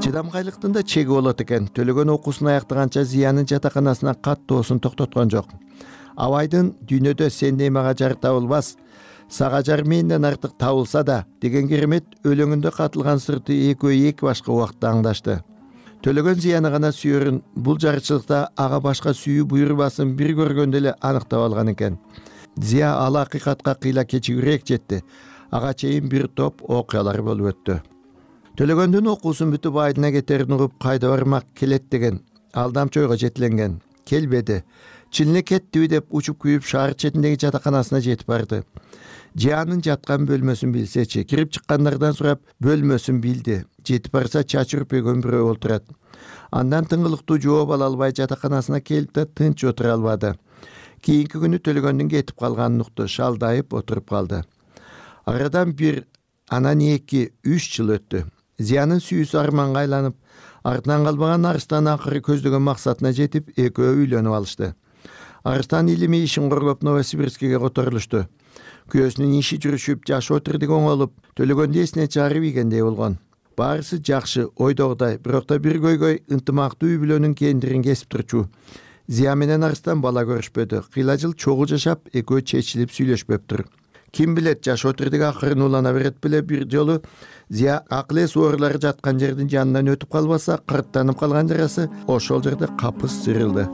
I: Чыдамкайлыктын да чеги болот экен. Төлөгөн окуусун аяктаганча Зиянын жатаканасына каттоосун токтоткон жок. Абайдын «Дүйнөдө сендей мага жар табылбас, сага жар менден артык табылса да» деген керемет өлөңүндө катылган сырты экөө эки башка убакытта аңдашты. Төлөгөн Зияны гана сүйөрүн, бул жарычылыкта ага башка сүйүү буйрубасын бир көргөндө эле аныктап алган экен. Зия ал акыйкатка кыйла кечигирээк жетти. Ага чейин бир топ окуялар болуп өттү. Төлөгөндүн окуусун бүтүп айылына кетерин угуп кайда бармак келет деген алдамчы ойго жетиленген. Келбеди. Чын эле кеттиби деп учуп күйүп шаар четиндеги жатаканасына жетип барды. Жиянын жаткан бөлмөсүн билсечи, кирип чыккандардан сурап бөлмөсүн билди. Жетип барса чачы үрпөйгөн бирөө олтурат. Андан тыңгылыктуу жооп ала албай жатаканасына келип да тынч отура албады. Кийинки күнү Төлөгөндүн кетип калганын укту, шалдайып отуруп калды. Арадан бир, анан 2-3 жыл өттү. Зиянын сүйүүсү арманга айланып, артынан калбаган Арыстан акыры көздөгөн максатына жетип, экөө үйлөнүп алышты. Арыстан илими ишин корлоп Новосибирскиге которулушту. Күйөөсүнүн иши жүрүшүп, жашоо тирдиги оңолуп, Төлөгөндү эсине чыгарып ийгендей болгон. Баарысы жакшы, ойдогудай, бирок да бир көйгөй ынтымактуу үй бүлөнүн кендирин кесип турчу. Зия менен Арыстан бала көрүшпөдү. Кыйла жыл чогуу жашап, экөө чечилип сүйлөшпөптүр. Ким билет, жашоо тирдиги акырын улана берет беле бир жолу Зия акыл эс оорулары жаткан жердин жанынан өтүп калбаса, кырттанып калган жарасы ошол жерде капыс сырылды.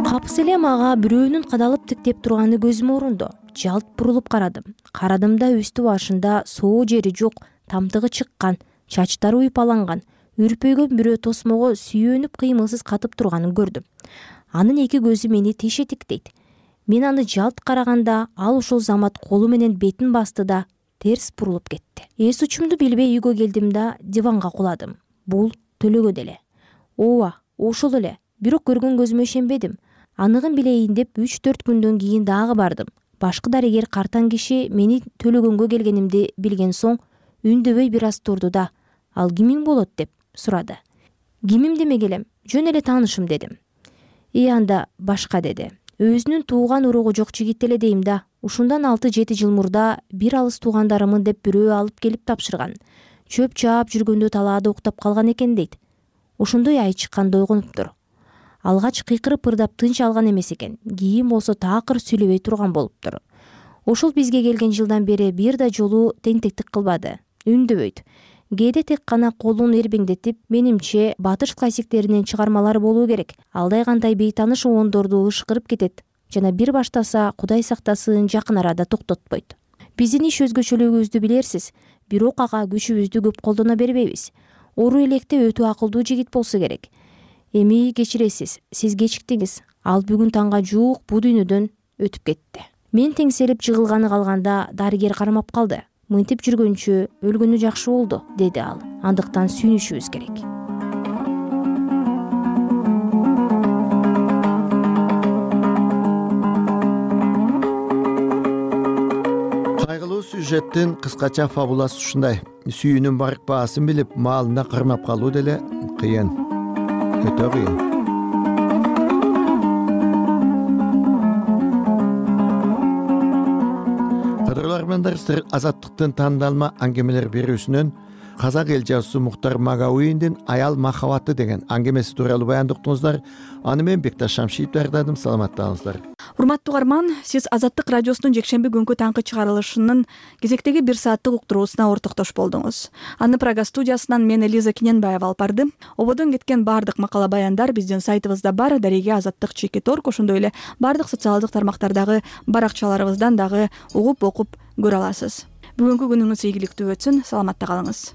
Y: Капыс эле мага бирөөнүн кадалып тиктеп турганы көзүмө урундо. Жалт бурулуп карадым. Карадымда үстү башында соо жери жок, тамтыгы чыккан, чачтары уйпаланган, үрпөйгөн бирөө тосмого сүйөнүп кыймылсыз катып турганын көрдүм. Анын эки көзү мени теше тиктейт. Мен аны жалт караганда ал ушул замат колу менен бетин басты да терс бурулуп кетти. Эс учумду билбей үйгө келдим да диванга куладым. Бул Төлөгөн эле. Ооба, ошол эле. Бирок көргөн көзүмө ишенбедим. Аныгын билейин деп 3-4 күндөн кийин дагы бардым. Башкы дарыгер картан киши мени Төлөгөнгө келгенимди билген соң үндөбөй бир аз турду да, ал кимиң болот деп сурады. Кимим демек элем, жөн эле таанышым дедим. Анда башка деди. Өзүнүн тууган уругу жок жигит эле дейм да. Ушундан 6-7 жыл мурда бир алыс туугандарымын деп бирөө алып келип тапшырган. Чөп чаап жүргөндө талаада уктап калган экен дейт. Ошондой ай чыкканда ойгонуптур. Алгач кыйкырып ырдап тынч алган эмес экен. Кийин болсо такыр сүйлөбөй турган болуптур. Ошол бизге келген жылдан бери бир да жолу тентектик кылбады. Үндөбөйт. Кээде тек гана колун эрбеңдетип, менимче батыш классиктеринен чыгармалар болуу керек. Алдай кандай бейтаныш уондорду ышкырып кетет жана бир баштаса Кудай сактасын жакын арада токтотпойт. Биздин иш өзгөчөлүгүбүздү билерсиз, бирок ага күчүбүздү көп колдоно бербейбиз. Ору электе өтө акылдуу жигит болсо керек. Эми кечиресиз, сиз кечиктиңиз. Ал бүгүн таңга жуук бул дүйнөдөн өтүп кетти. Мен теңселип жыгылганы калганда дарыгер кармап калды. Мынтип жүргөнчө өлгөнү жакшы болду, деди ал. Андыктан сүйүнүшүбүз керек.
I: Кайгылуу сюжеттин кыскача фабуласы ушундай. Сүйүүнүн барк баасын билип, маалына кармап калуу деле кыйын. Өтө кыйын. Кадырлармандар Азаттыктын тандалма аңгемелер берүүсүнөн казак эл жазуусу Мухтар Магауиндин Аял махабаты деген аңгемеси тууралуу баяндыктыңыздар. Аны мен Бекташ Шамшиев даярдадым. Саламаттаңыздар.
A: Урматтуу угарман, сиз Азаттык радиосунун жекшемби күnkү таңкы чыгарылышынын кезектеги 1 сааттык уктуруусуна ортоктош болдуңуз. Аны Прага студиясынан мен Элиза Киненбаева алып бардым. Ободон кеткен бардык макала баяндар биздин сайтыбызда бар. Дареге Азаттык @org, ошондой эле бардык социалдык тармактардагы баракчаларыбыздан дагы угуп окуп көрө аласыз. Бүгүнкү күнүңүз ийгиликтүү өтсүн. Саламатта калыңыз.